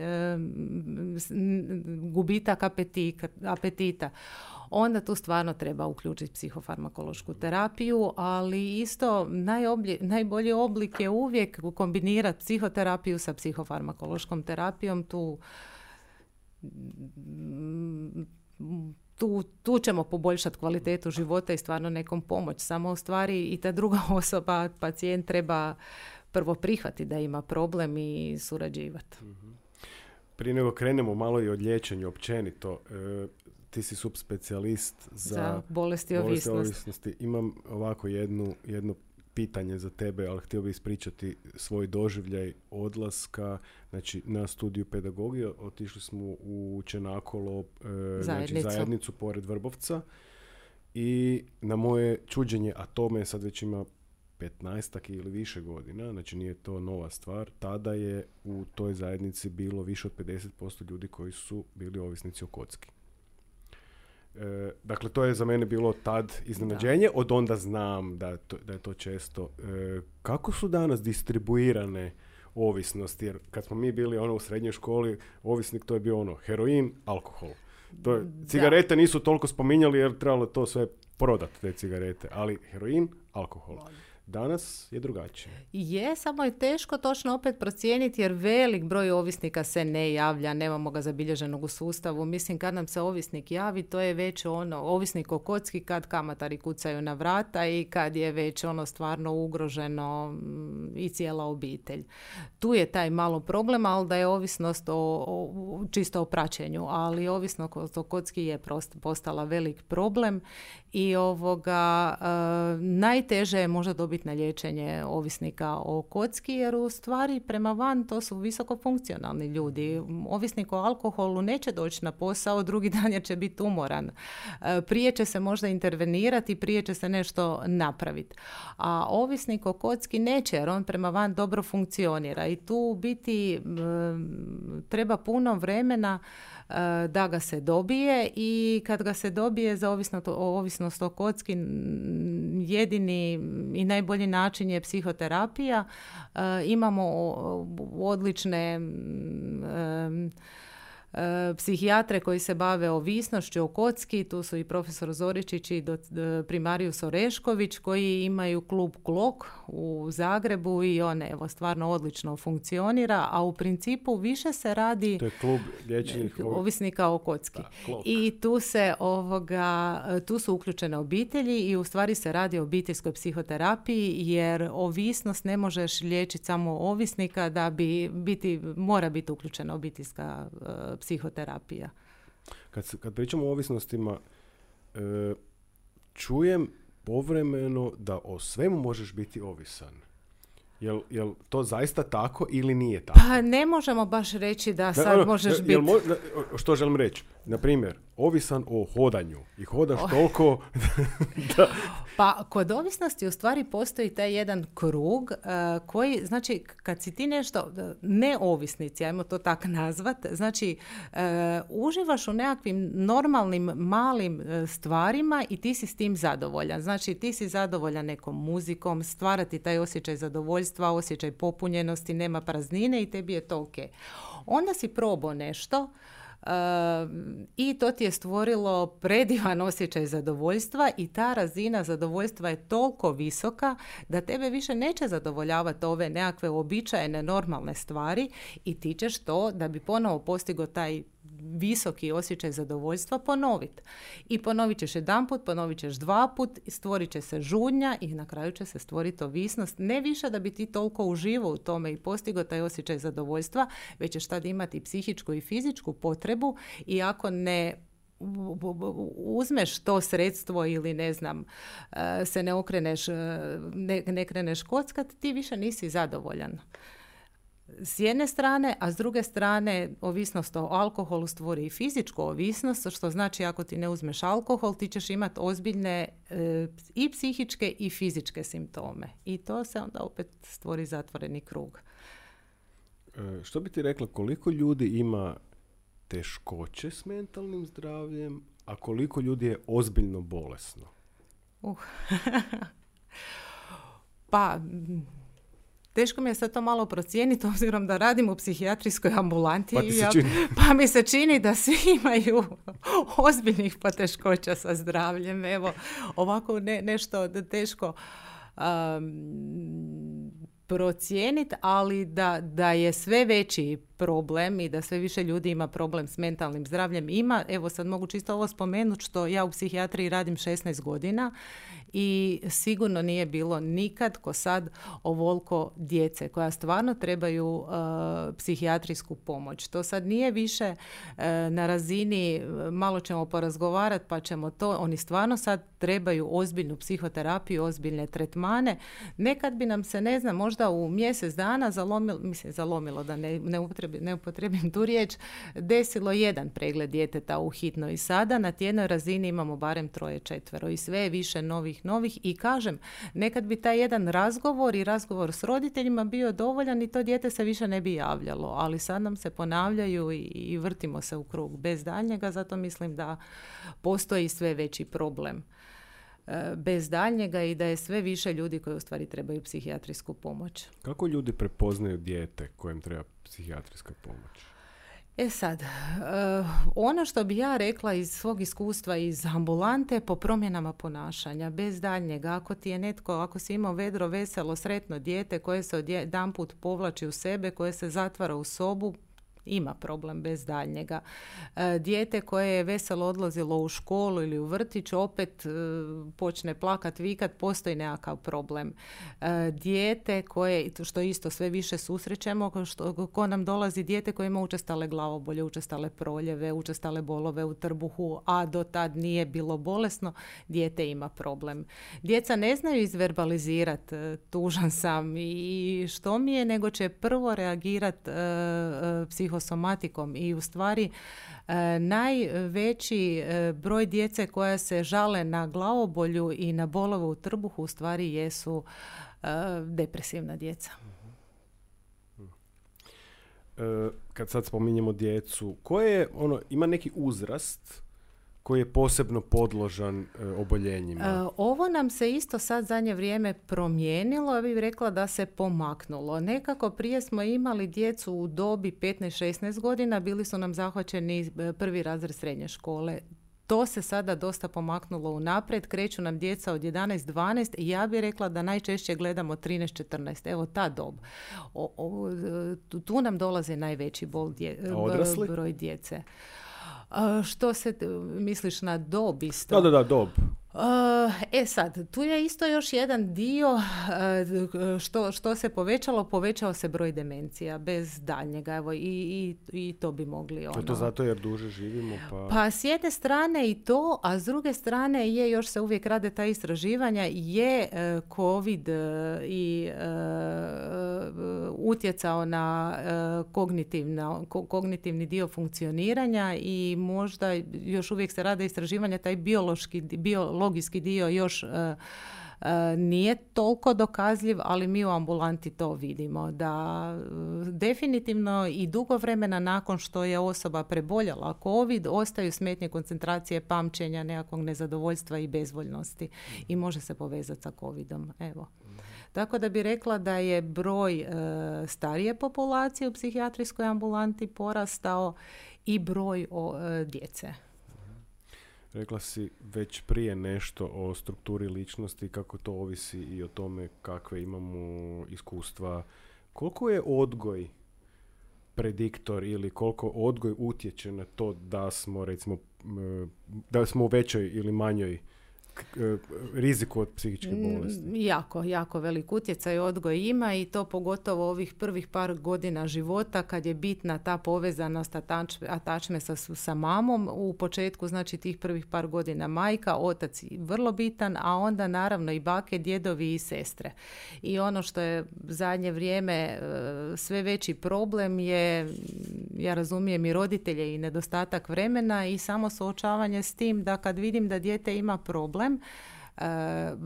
gubitak apetita, apetita. Onda tu stvarno treba uključiti psihofarmakološku terapiju, ali isto najoblje, najbolji oblik je uvijek kombinirati psihoterapiju sa psihofarmakološkom terapijom. Tu, tu, tu ćemo poboljšati kvalitetu života i stvarno nekom pomoć. Samo u stvari i ta druga osoba, pacijent, treba prvo prihvatiti da ima problem i surađivati. Prije nego krenemo malo i od liječenja općenito, e, ti si subspecijalist za, za bolesti ovisnosti. ovisnosti. Imam ovako jednu, jedno pitanje za tebe, ali htio bih ispričati svoj doživljaj odlaska. Znači, na studiju pedagogije otišli smo u Čenakolo, e, znači zajednicu pored Vrbovca, i na moje čuđenje, a to me sad već ima petnaestak ili više godina, znači nije to nova stvar, tada je u toj zajednici bilo više od pedeset posto ljudi koji su bili ovisnici o kocki. E, dakle, to je za mene bilo tad iznenađenje, od onda znam da, to, da je to često. E, kako su danas distribuirane ovisnosti? Jer kad smo mi bili ono u srednjoj školi, ovisnik to je bio ono heroin, alkohol. To je, cigarete da. Nisu toliko spominjali jer trebalo to sve prodati, te cigarete, ali heroin, alkohol. Danas je drugačije. Je, samo je teško točno opet procijeniti jer velik broj ovisnika se ne javlja, nemamo ga zabilježenog u sustavu. Mislim, kad nam se ovisnik javi, to je već ono, ovisnik o kocki kad kamatari kucaju na vrata i kad je već ono stvarno ugroženo i cijela obitelj. Tu je taj malo problem, ali da je ovisnost o, o, čisto o praćenju, ali ovisnost o kocki je prost, postala velik problem i ovoga e, najteže je možda dobiti na liječenje ovisnika o kocki, jer u stvari prema van to su visoko funkcionalni ljudi. Ovisnik o alkoholu neće doći na posao, drugi dan je će biti umoran. Prije će se možda intervenirati, prije će se nešto napraviti. A ovisnik o kocki neće, jer on prema van dobro funkcionira i tu biti treba puno vremena da ga se dobije i kad ga se dobije za ovisnost, ovisnost o kocki, jedini i najbolji način je psihoterapija. E, imamo odlične e, e, psihijatre koji se bave ovisnošću o kocki, tu su i profesor Zoričić i do, primarius Orešković koji imaju klub Klok u Zagrebu i on evo stvarno odlično funkcionira, a u principu više se radi to je klub liječenih ovisnika o kocki. Da, i tu se ovoga, tu su uključene obitelji i u stvari se radi o obiteljskoj psihoterapiji jer ovisnost ne možeš liječiti samo ovisnika, da bi biti, mora biti uključena obiteljska uh, psihoterapija. Kad, kad pričamo o ovisnostima, e, čujem povremeno da o svemu možeš biti ovisan. Jel, jel to zaista tako ili nije tako? Pa ne možemo baš reći da sad ne, ono, možeš jel, biti... Jel mo, što želim reći? na primjer, ovisan o hodanju i hodaš toliko da... Pa kod ovisnosti u stvari postoji taj jedan krug uh, koji, znači, kad si ti nešto neovisnici, ajmo to tako nazvat, znači, uh, uživaš u nekakvim normalnim malim uh, stvarima i ti si s tim zadovoljan. Znači, ti si zadovoljan nekom muzikom, stvarati taj osjećaj zadovoljstva, osjećaj popunjenosti, nema praznine i tebi je to ok. Onda si probao nešto Uh, i to ti je stvorilo predivan osjećaj zadovoljstva i ta razina zadovoljstva je toliko visoka da tebe više neće zadovoljavati ove nekakve uobičajene normalne stvari i ti ćeš to, da bi ponovo postigao taj visoki osjećaj zadovoljstva, ponoviti. I ponovit ćeš jedanput, ponovit ćeš dva put, stvorit će se žudnja i na kraju će se stvoriti ovisnost. Ne više da bi ti toliko uživao u tome i postigao taj osjećaj zadovoljstva, već ćeš tad imati psihičku i fizičku potrebu i ako ne uzmeš to sredstvo ili ne znam, se ne okreneš, ne, ne kreneš kockat, ti više nisi zadovoljan. S jedne strane, a s druge strane ovisnost o alkoholu stvori i fizičku ovisnost, što znači ako ti ne uzmeš alkohol, ti ćeš imati ozbiljne e, i psihičke i fizičke simptome. I to se onda opet stvori zatvoreni krug. E, što bi ti rekla, koliko ljudi ima teškoće s mentalnim zdravljem, a koliko ljudi je ozbiljno bolesno? Uh. pa... Teško mi je sad to malo procijeniti, obzirom da radim u psihijatrijskoj ambulanti. Pa, ja, pa mi se čini da svi imaju ozbiljnih poteškoća sa zdravljem. Evo, ovako ne, nešto teško um, procijeniti, ali da, da je sve veći problem i da sve više ljudi ima problem s mentalnim zdravljem. Ima, evo sad mogu čisto ovo spomenuti, što ja u psihijatriji radim šesnaest godina i sigurno nije bilo nikad ko sad ovoliko djece koja stvarno trebaju uh, psihijatrijsku pomoć. To sad nije više uh, na razini malo ćemo porazgovarati pa ćemo to, oni stvarno sad trebaju ozbiljnu psihoterapiju, ozbiljne tretmane. Nekad bi nam se, ne znam, možda u mjesec dana zalomilo, mislim zalomilo da ne, ne, upotrebi, ne upotrebim tu riječ, desilo jedan pregled djeteta u hitnoj i sada na tjednoj razini imamo barem troje, četvero i sve je više novih novih i kažem, nekad bi taj jedan razgovor i razgovor s roditeljima bio dovoljan i to dijete se više ne bi javljalo, ali sad nam se ponavljaju i, i vrtimo se u krug bez daljnjega, zato mislim da postoji sve veći problem bez daljnjega i da je sve više ljudi koji u stvari trebaju psihijatrijsku pomoć. Kako ljudi prepoznaju dijete kojem treba psihijatrijska pomoć? E sad, uh, ono što bi ja rekla iz svog iskustva iz ambulante po promjenama ponašanja, bez daljnjega, ako ti je netko, ako si imao vedro, veselo, sretno dijete koje se odjedanput povlači u sebe, koje se zatvara u sobu, ima problem bez daljnjega. E, dijete koje je veselo odlazilo u školu ili u vrtić, opet e, počne plakat, vikat, postoji nekakav problem. E, dijete koje, što isto sve više susrećemo, što, ko nam dolazi dijete koje ima učestale glavobolje, učestale proljeve, učestale bolove u trbuhu, a do tad nije bilo bolesno, dijete ima problem. Djeca ne znaju izverbalizirati e, tužan sam i što mi je, nego će prvo reagirati e, e, psiho somatikom i u stvari e, najveći e, broj djece koja se žale na glavobolju i na bolove u trbuhu u stvari jesu e, depresivna djeca. E, kad sad spominjemo djecu, koje je, ono, ima neki uzrast koji je posebno podložan e, oboljenjima? E, ovo nam se isto sad zadnje vrijeme promijenilo, ja bih rekla da se pomaknulo. Nekako prije smo imali djecu u dobi petnaest šesnaest godina, bili su nam zahvaćeni prvi razred srednje škole. To se sada dosta pomaknulo unaprijed, kreću nam djeca od jedanaest dvanaest i ja bih rekla da najčešće gledamo trinaest četrnaest, evo ta dob. O, o, tu, tu nam dolazi najveći bol dje, broj djece. Što se, misliš na dob isto? Da, da, da, dob. E sad, tu je isto još jedan dio što, što se povećalo, povećao se broj demencija bez daljnjega, evo i, i, i to bi mogli ono. Je to zato jer duže živimo? Pa... pa s jedne strane i to, a s druge strane je, još se uvijek rade ta istraživanja, je COVID i uh, utjecao na uh, kognitivno, ko, kognitivni dio funkcioniranja i možda još uvijek se rade istraživanja, taj biološki, biologijski dio još uh, uh, nije toliko dokazljiv, ali mi u ambulanti to vidimo, da uh, definitivno i dugo vremena nakon što je osoba preboljela COVID, ostaju smetnje koncentracije, pamćenja, nekakvog nezadovoljstva i bezvoljnosti i može se povezati sa COVIDom. Evo. Tako da bi rekla da je broj e, starije populacije u psihijatrijskoj ambulanti porastao i broj o, e, djece. Rekla si već prije nešto o strukturi ličnosti, kako to ovisi i o tome kakve imamo iskustva. Koliko je odgoj prediktor ili koliko odgoj utječe na to da smo, recimo, da smo u većoj ili manjoj riziku od psihičke bolesti? Jako, jako velik utjecaj odgoj ima i to pogotovo ovih prvih par godina života kad je bitna ta povezanost atačme sa, sa mamom. U početku, znači tih prvih par godina majka, otac vrlo bitan, a onda naravno i bake, djedovi i sestre. I ono što je zadnje vrijeme sve veći problem je, ja razumijem, i roditelje i nedostatak vremena i samo suočavanje s tim da kad vidim da dijete ima problem, Uh,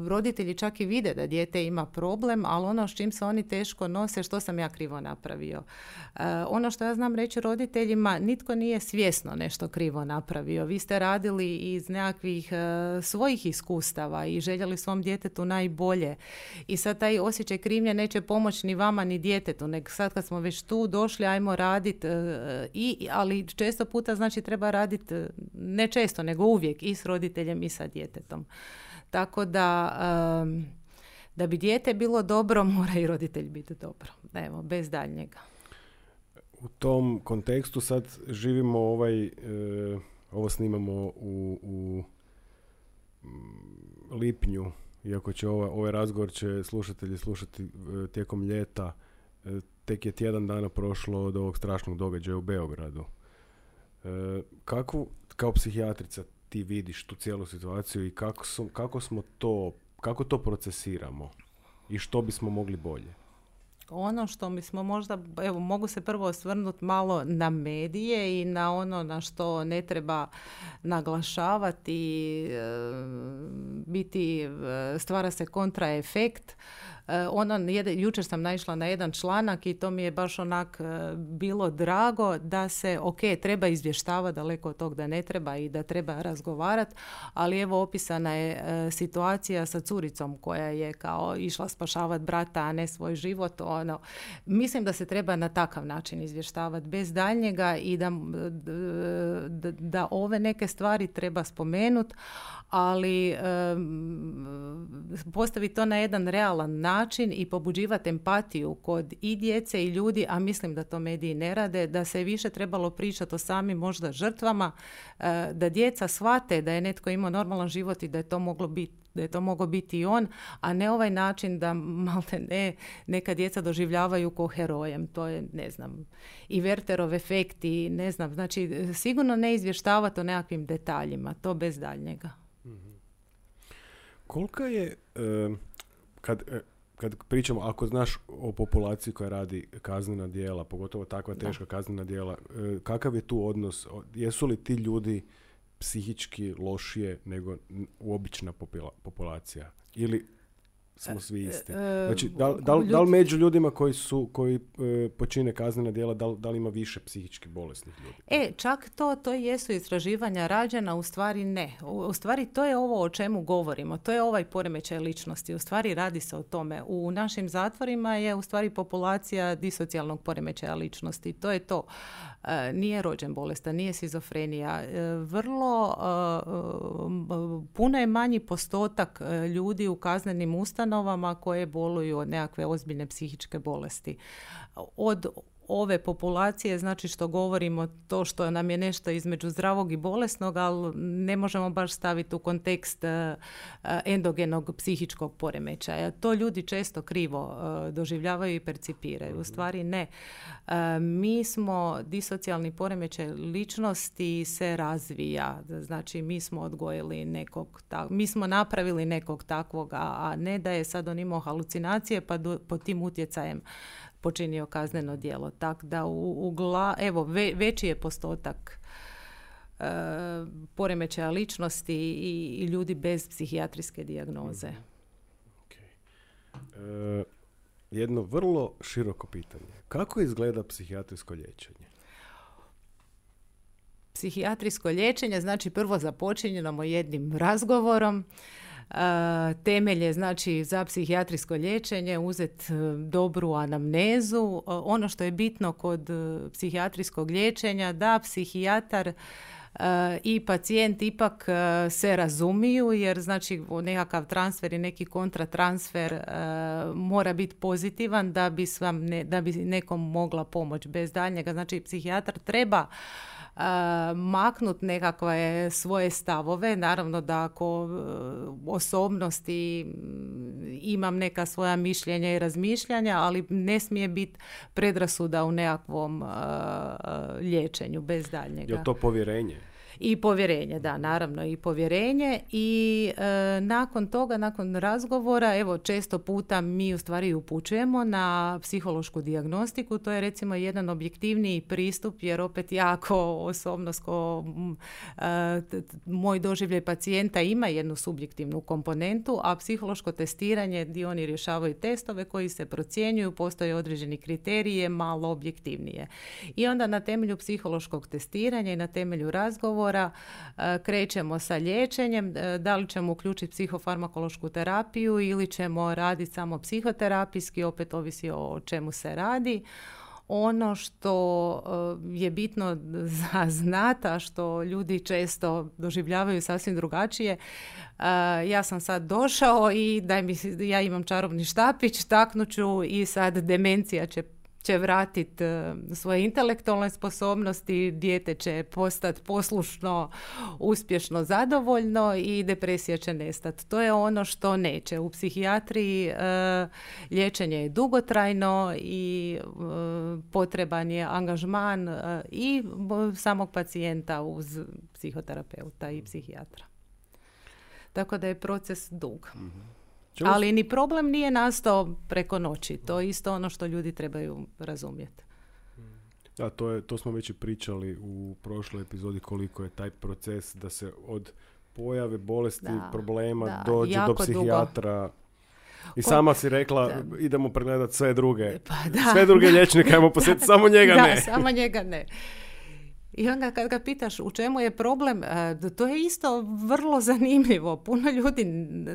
roditelji čak i vide da dijete ima problem, ali ono s čim se oni teško nose, što sam ja krivo napravio. Uh, ono što ja znam reći roditeljima, nitko nije svjesno nešto krivo napravio. Vi ste radili iz nekakvih uh, svojih iskustava i željeli svom djetetu najbolje. I sad taj osjećaj krivnje neće pomoći ni vama ni djetetu, nego sad kad smo već tu došli, ajmo raditi, uh, i, ali često puta znači treba raditi, uh, ne često, nego uvijek i s roditeljem i sa djetetom. Tako da, um, da bi dijete bilo dobro, mora i roditelj biti dobro. Evo, bez daljnjega. U tom kontekstu sad živimo ovaj, e, ovo snimamo u, u lipnju, iako će ovaj, ovaj razgovor će slušatelji slušati e, tijekom ljeta. E, tek je tjedan dana prošlo od ovog strašnog događaja u Beogradu. E, kako, kao psihijatrica, ti vidiš tu cijelu situaciju i kako, su, kako smo to, kako to procesiramo i što bismo mogli bolje? Ono što bismo možda, evo, mogu se prvo osvrnuti malo na medije i na ono na što ne treba naglašavati, e, biti, e, stvara se kontraefekt. Ono, jučer sam naišla na jedan članak i to mi je baš onak bilo drago da se, ok, treba izvještavati, daleko od tog da ne treba i da treba razgovarati, ali evo opisana je situacija sa curicom koja je kao išla spašavati brata, a ne svoj život. Ono, mislim da se treba na takav način izvještavati bez daljnjega i da, da, da ove neke stvari treba spomenuti, ali um, postaviti to na jedan realan način i pobuđivati empatiju kod i djece i ljudi, a mislim da to mediji ne rade, da se više trebalo pričati o samim možda žrtvama, uh, da djeca shvate da je netko imao normalan život i da je to moglo biti da je to mogao biti i on, a ne ovaj način da malte ne, neka djeca doživljavaju ko herojem. To je, ne znam, i Wertherov efekt i ne znam, znači sigurno ne izvještavati o nekakvim detaljima, to bez daljnjega. Kolika je, kad, kad pričamo, ako znaš o populaciji koja radi kaznena djela, pogotovo takva teška da. kaznena djela, kakav je tu odnos? Jesu li ti ljudi psihički lošije nego obična populacija? Ili smo svi isti? Znači, da, da, da li među ljudima koji su koji e, počine kaznena djela, da, da li ima više psihički bolesnih ljudi? E, čak to, to jesu istraživanja rađena, u stvari ne. U, u stvari to je ovo o čemu govorimo. To je ovaj poremećaj ličnosti. U stvari radi se o tome. U našim zatvorima je u stvari populacija disocijalnog poremećaja ličnosti. To je to. E, nije rođen bolestan, nije šizofrenija. E, vrlo e, puno je manji postotak ljudi u kaznenim ustanovama koje boluju od nekakve ozbiljne psihičke bolesti. Od ove populacije, znači što govorimo to što nam je nešto između zdravog i bolesnog, ali ne možemo baš staviti u kontekst endogenog psihičkog poremećaja. To ljudi često krivo doživljavaju i percipiraju. U stvari ne. Mi smo, disocijalni poremećaj ličnosti se razvija. Znači mi smo odgojili nekog, mi smo napravili nekog takvog, a ne da je sad on imao halucinacije pa do, pod tim utjecajem počinio kazneno djelo. Tako da u, u gla, evo, ve, veći je postotak e, poremećaja ličnosti i, i ljudi bez psihijatrijske dijagnoze. Okay. E, jedno vrlo široko pitanje. Kako izgleda psihijatrijsko liječenje? Psihijatrijsko liječenje znači prvo započinjemo jednim razgovorom. Uh, temelje znači za psihijatrijsko liječenje uzeti dobru anamnezu. Uh, ono što je bitno kod uh, psihijatrijskog liječenja da psihijatar uh, i pacijent ipak uh, se razumiju, jer znači nekakav transfer i neki kontratransfer uh, mora biti pozitivan da bi, svam ne, da bi nekom mogla pomoć bez daljnjega. Znači psihijatar treba Uh, maknut nekakve svoje stavove. Naravno da ako uh, osobnosti imam neka svoja mišljenja i razmišljanja, ali ne smije biti predrasuda u nekakvom uh, liječenju bez daljnjega. Je to povjerenje? I povjerenje, da, naravno i povjerenje i e, nakon toga, nakon razgovora, evo često puta mi u stvari upućujemo na psihološku dijagnostiku, to je recimo jedan objektivniji pristup jer opet jako osobnosko e, t, t, moj doživljaj pacijenta ima jednu subjektivnu komponentu, a psihološko testiranje gdje oni rješavaju testove koji se procjenjuju, postoje određeni kriterije, malo objektivnije. I onda na temelju psihološkog testiranja i na temelju razgovora krećemo sa liječenjem, da li ćemo uključiti psihofarmakološku terapiju ili ćemo raditi samo psihoterapijski, opet ovisi o čemu se radi. Ono što je bitno za znata, što ljudi često doživljavaju sasvim drugačije, ja sam sad došao i daj mi, ja imam čarobni štapić, taknuću i sad demencija će će vratiti svoje intelektualne sposobnosti, dijete će postati poslušno, uspješno, zadovoljno i depresija će nestati. To je ono što neće. U psihijatriji e, liječenje je dugotrajno i e, potreban je angažman e, i samog pacijenta uz psihoterapeuta i psihijatra. Tako da je proces dug. Mm-hmm. Ali ni problem nije nastao preko noći. To je isto ono što ljudi trebaju razumjeti. Da, to, je, to smo već i pričali u prošloj epizodi koliko je taj proces da se od pojave bolesti, da, problema da, dođe do psihijatra. Dugo. I sama si rekla, da. idemo pregledati sve druge. Pa da, sve druge liječnike, ajmo posjetiti, samo njega da, ne. Da, samo njega ne. I onda kad ga pitaš u čemu je problem, to je isto vrlo zanimljivo. Puno ljudi,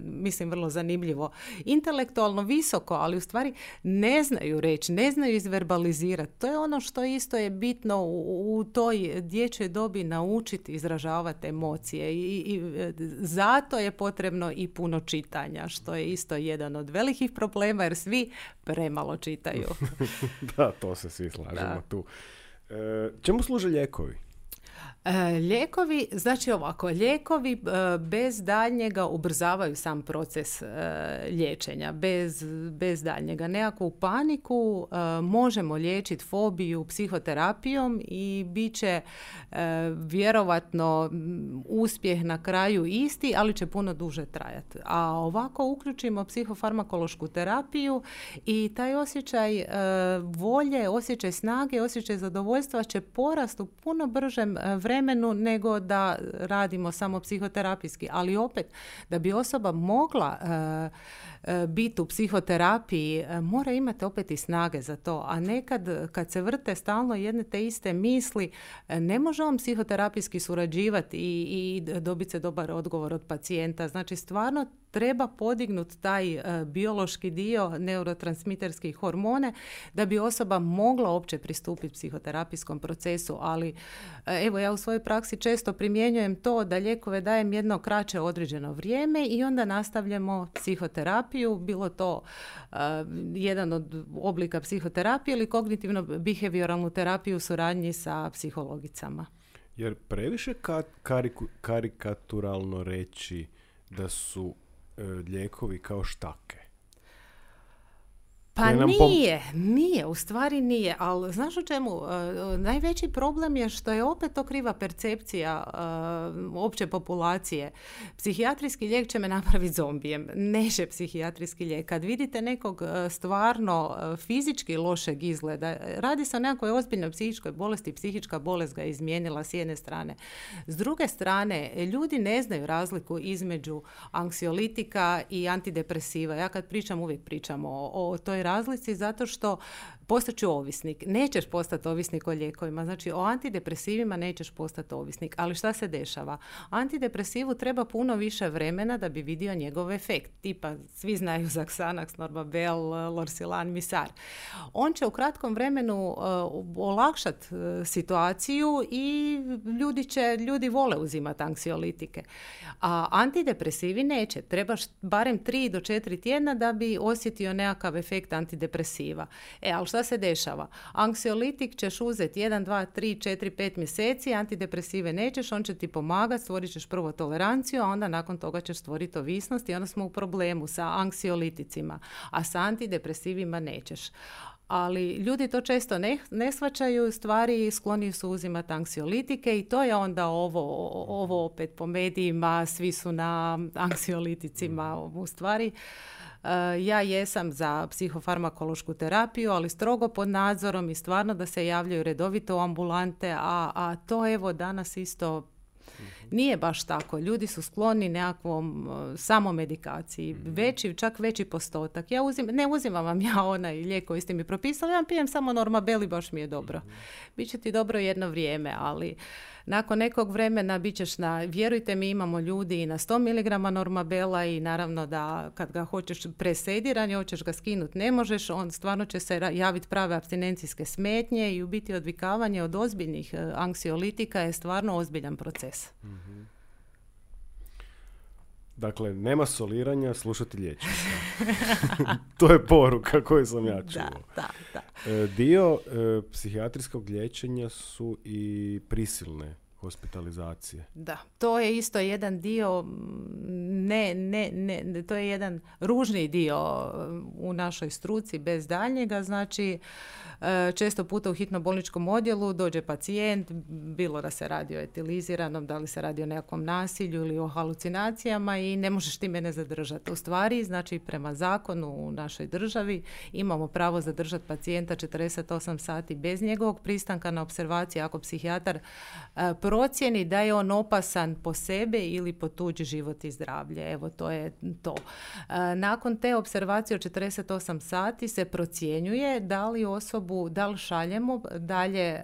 mislim vrlo zanimljivo, intelektualno visoko, ali u stvari ne znaju reći, ne znaju izverbalizirati. To je ono što isto je bitno u, u toj dječjoj dobi naučiti izražavati emocije. I, i zato je potrebno i puno čitanja, što je isto jedan od velikih problema jer svi premalo čitaju. Da, to se svi slažemo da. tu. E, čemu služe lijekovi? E, lijekovi, znači ovako, lijekovi e, bez daljnjega ubrzavaju sam proces e, liječenja, bez, bez daljnjega. Nekakvu paniku e, možemo liječiti fobiju psihoterapijom i bit će e, vjerovatno uspjeh na kraju isti, ali će puno duže trajati. A ovako uključimo psihofarmakološku terapiju i taj osjećaj e, volje, osjećaj snage, osjećaj zadovoljstva će porasti u puno bržem vremenu vremenu nego da radimo samo psihoterapijski. Ali opet, da bi osoba mogla uh, uh, biti u psihoterapiji, uh, mora imati opet i snage za to. A nekad, kad se vrte stalno jedne te iste misli, uh, ne može on psihoterapijski surađivati i, i dobiti se dobar odgovor od pacijenta. Znači, stvarno treba podignuti taj uh, biološki dio, neurotransmiterski hormone, da bi osoba mogla uopće pristupiti psihoterapijskom procesu. Ali uh, evo, ja u svojoj praksi često primjenjujem to da lijekove dajem jedno kraće određeno vrijeme i onda nastavljamo psihoterapiju, bilo to uh, jedan od oblika psihoterapije ili kognitivno-behavioralnu terapiju u suradnji sa psihologicama. Jer previše ka- kariku- karikaturalno reći da su e, lijekovi kao štake. Pa nije, nije, u stvari nije, ali znaš u čemu? Uh, najveći problem je što je opet to kriva percepcija uh, opće populacije. Psihijatrijski lijek će me napraviti zombijem, neće psihijatrijski lijek. Kad vidite nekog uh, stvarno uh, fizički lošeg izgleda, radi se o nekakvoj ozbiljnoj psihičkoj bolesti, psihička bolest ga je izmijenila s jedne strane. S druge strane, ljudi ne znaju razliku između anksiolitika i antidepresiva. Ja kad pričam, uvijek pričam o, o toj razlici zato što postaću ovisnik. Nećeš postati ovisnik o lijekovima. Znači, o antidepresivima nećeš postati ovisnik. Ali šta se dešava? Antidepresivu treba puno više vremena da bi vidio njegov efekt. Tipa, svi znaju za Xanax, Normabel, Lorsilan, Misar. On će u kratkom vremenu uh, olakšati uh, situaciju i ljudi će, ljudi vole uzimati anksiolitike. A antidepresivi neće. Trebaš barem tri do četiri tjedna da bi osjetio nekakav efekt antidepresiva. E, ali šta se dešava? Anksiolitik ćeš uzeti jedan, dva, tri, četiri, pet mjeseci, antidepresive nećeš, on će ti pomagati, stvorit ćeš prvo toleranciju, a onda nakon toga ćeš stvoriti ovisnost i onda smo u problemu sa anksioliticima, a sa antidepresivima nećeš. Ali ljudi to često ne, ne shvaćaju, stvari skloni su uzimati anksiolitike i to je onda ovo, ovo opet po medijima, svi su na anksioliticima, u stvari. Ja jesam za psihofarmakološku terapiju, ali strogo pod nadzorom i stvarno da se javljaju redovito u ambulante, a, a to evo danas isto nije baš tako. Ljudi su skloni nekakvom uh, samomedikaciji, veći, čak veći postotak. Ja uzim, ne uzimam vam ja onaj lijek koji ste mi propisali, ja pijem samo Normabel i baš mi je dobro. Biće ti dobro jedno vrijeme, ali nakon nekog vremena bit ćeš na, vjerujte mi, imamo ljudi i na sto miligrama Normabela i naravno da kad ga hoćeš presediranje, hoćeš ga skinuti, ne možeš, on stvarno će se javiti prave apstinencijske smetnje i u biti odvikavanje od ozbiljnih uh, anksiolitika je stvarno ozbiljan proces. Mm-hmm. Dakle, nema soliranja, slušati liječnika. To je poruka koju sam ja čuo. Da, da, da. E, dio e, psihijatrijskog liječenja su i prisilne hospitalizacije. Da, to je isto jedan dio, ne, ne, ne, to je jedan ružni dio u našoj struci bez daljnjega, znači često puta u hitno-bolničkom odjelu dođe pacijent, bilo da se radi o etiliziranom, da li se radi o nekakvom nasilju ili o halucinacijama i ne možeš ti mene zadržati. U stvari, znači prema zakonu u našoj državi imamo pravo zadržati pacijenta četrdeset osam sati bez njegovog pristanka na opservaciji ako psihijatar e, procijeni da je on opasan po sebe ili po tuđi život i zdravlje. Evo, to je to. E, nakon te opservacije od četrdeset osam sati se procjenjuje da li osobu da li šaljemo dalje e,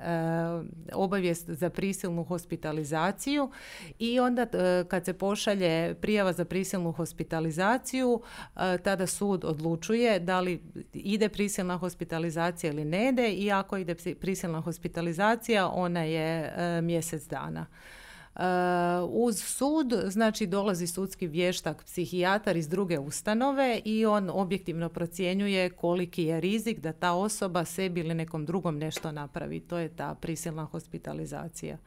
obavijest za prisilnu hospitalizaciju i onda e, kad se pošalje prijava za prisilnu hospitalizaciju, e, tada sud odlučuje da li ide prisilna hospitalizacija ili ne ide i ako ide prisilna hospitalizacija, ona je e, mjesec dana. Uh, uz sud, znači dolazi sudski vještak, psihijatar iz druge ustanove i on objektivno procjenjuje koliki je rizik da ta osoba sebi ili nekom drugom nešto napravi. To je ta prisilna hospitalizacija.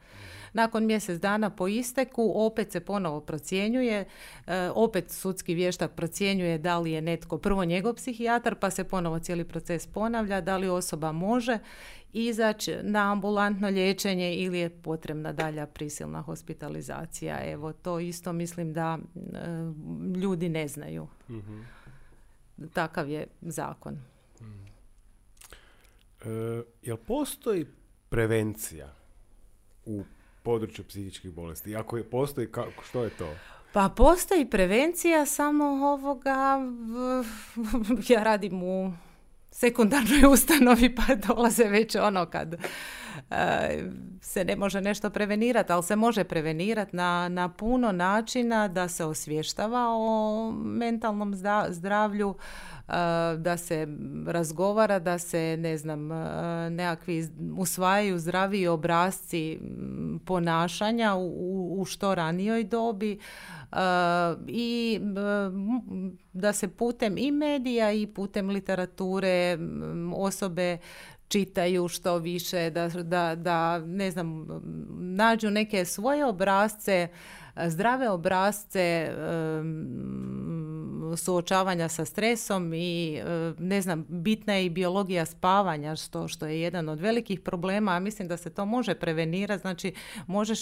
Nakon mjesec dana po isteku opet se ponovo procjenjuje, uh, opet sudski vještak procjenjuje da li je netko, prvo njegov psihijatar, pa se ponovo cijeli proces ponavlja, da li osoba može izaći na ambulantno liječenje ili je potrebna dalja prisilna hospitalizacija. Evo, to isto mislim da e, ljudi ne znaju. Mm-hmm. Takav je zakon. Mm. E, jel postoji prevencija u području psihičkih bolesti? Ako je postoji, kako, što je to? Pa postoji prevencija, samo ovoga, ja radim u sekundarnoj ustanovi pa dolaze već ono kad se ne može nešto prevenirati, ali se može prevenirati na, na puno načina, da se osvještava o mentalnom zdravlju, da se razgovara, da se, ne znam, nekakvi usvajaju zdraviji obrasci ponašanja u, u što ranijoj dobi, i da se putem i medija i putem literature osobe čitaju što više, da, da, da ne znam, nađu neke svoje obrasce, zdrave obrasce um, suočavanja sa stresom i um, ne znam, bitna je i biologija spavanja, što, što je jedan od velikih problema, a mislim da se to može prevenirati, znači možeš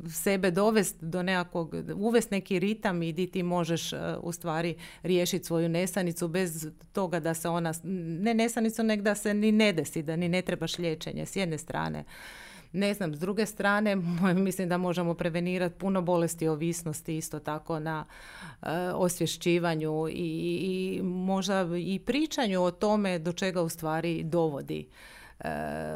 sebe dovesti do nekakvog, uvesti neki ritam i di ti možeš uh, u stvari riješiti svoju nesanicu bez toga da se ona, ne nesanicu, nek da se ni ne desi, da ni ne trebaš liječenje s jedne strane. Ne znam, s druge strane, mislim da možemo prevenirati puno bolesti ovisnosti isto tako na uh, osvješćivanju i, i možda i pričanju o tome do čega u stvari dovodi uh,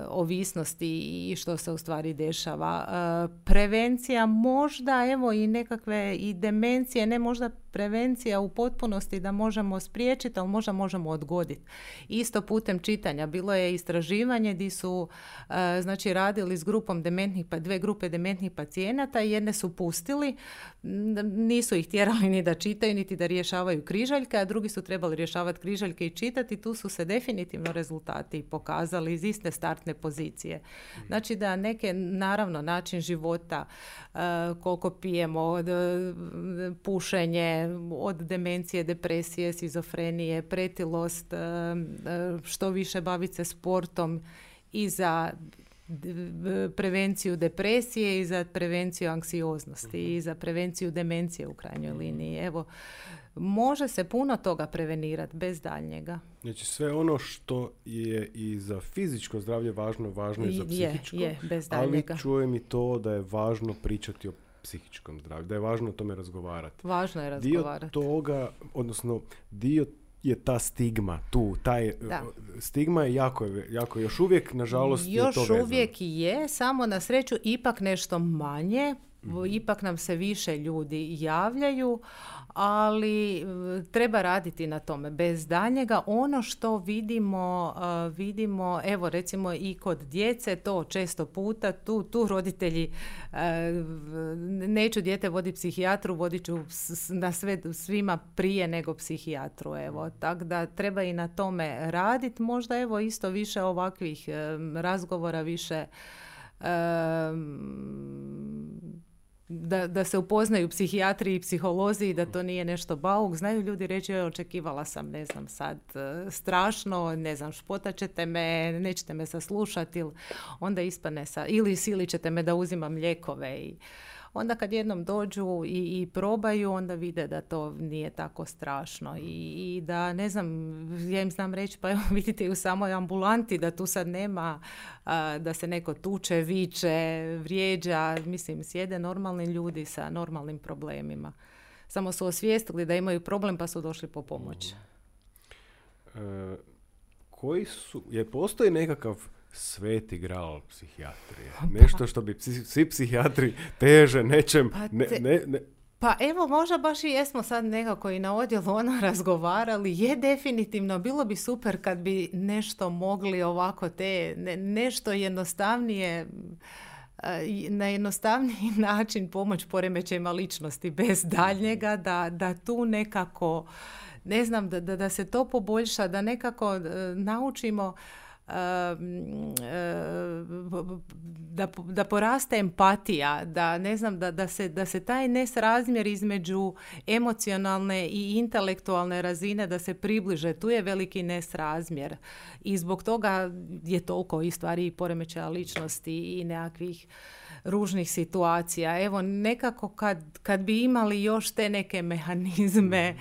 ovisnosti i što se u stvari dešava. Uh, prevencija možda, evo i nekakve i demencije, ne možda prevencija u potpunosti da možemo spriječiti, ali možda možemo odgoditi. Isto putem čitanja. Bilo je istraživanje gdje su uh, znači radili s grupom dementnih, pa dve grupe dementnih pacijenata i jedne su pustili, nisu ih tjerali ni da čitaju, niti da rješavaju križaljke, a drugi su trebali rješavati križaljke i čitati. Tu su se definitivno rezultati pokazali iz iste startne pozicije. Znači da neke, naravno, način života, uh, koliko pijemo, od, pušenje, od demencije, depresije, šizofrenije, pretilost, što više baviti se sportom i za prevenciju depresije i za prevenciju anksioznosti i za prevenciju demencije u krajnjoj liniji. Evo, može se puno toga prevenirati bez daljnjega. Znači sve ono što je i za fizičko zdravlje važno, važno je i za psihičko, je, je, bez daljnjega. Ali čujem i to da je važno pričati o psihičkom zdravlju, da je važno o tome razgovarati. Važno je razgovarati. Dio toga, odnosno dio je ta stigma tu, taj da. Stigma je jako, jako, još uvijek, nažalost, još je to vezano. Još uvijek je, samo na sreću ipak nešto manje, mm-hmm. ipak nam se više ljudi javljaju, ali treba raditi na tome. Bez daljnjega, ono što vidimo, uh, vidimo, evo recimo i kod djece, to često puta, tu, tu roditelji, uh, neću dijete voditi psihijatru, vodit ću na sve, svima prije nego psihijatru, evo. Tako da treba i na tome raditi, možda evo isto više ovakvih um, razgovora, više um, Da, da se upoznaju psihijatri i psiholozi i da to nije nešto bauk. Znaju ljudi reći, joj, očekivala sam, ne znam, sad strašno, ne znam, špotat ćete me, nećete me saslušati, ili onda ispane sa, ili silit ćete me da uzimam lijekove. I onda kad jednom dođu i, i probaju, onda vide da to nije tako strašno. I, i da, ne znam, ja im znam reći, pa evo vidite i u samoj ambulanti da tu sad nema a, da se neko tuče, viče, vrijeđa. Mislim, sjede normalni ljudi sa normalnim problemima. Samo su osvijestili da imaju problem pa su došli po pomoć. E, koji su, je postoji nekakav sveti gral psihijatrije? Nešto što bi psi, svi psihijatri teže nečem... Pa, ne, te, ne, ne. pa evo, možda baš i jesmo sad nekako i na odjelu ono razgovarali. Je definitivno, bilo bi super kad bi nešto mogli ovako te, ne, nešto jednostavnije, na jednostavniji način pomoć poremećajima ličnosti bez daljnjega, da, da tu nekako, ne znam, da, da, da se to poboljša, da nekako uh, naučimo Da, da poraste empatija, da ne znam, da, da, se, da se taj nesrazmjer između emocionalne i intelektualne razine da se približe. Tu je veliki nesrazmjer i zbog toga je toliko i stvari i poremećaja ličnosti i nekakvih ružnih situacija. Evo, nekako kad, kad bi imali još te neke mehanizme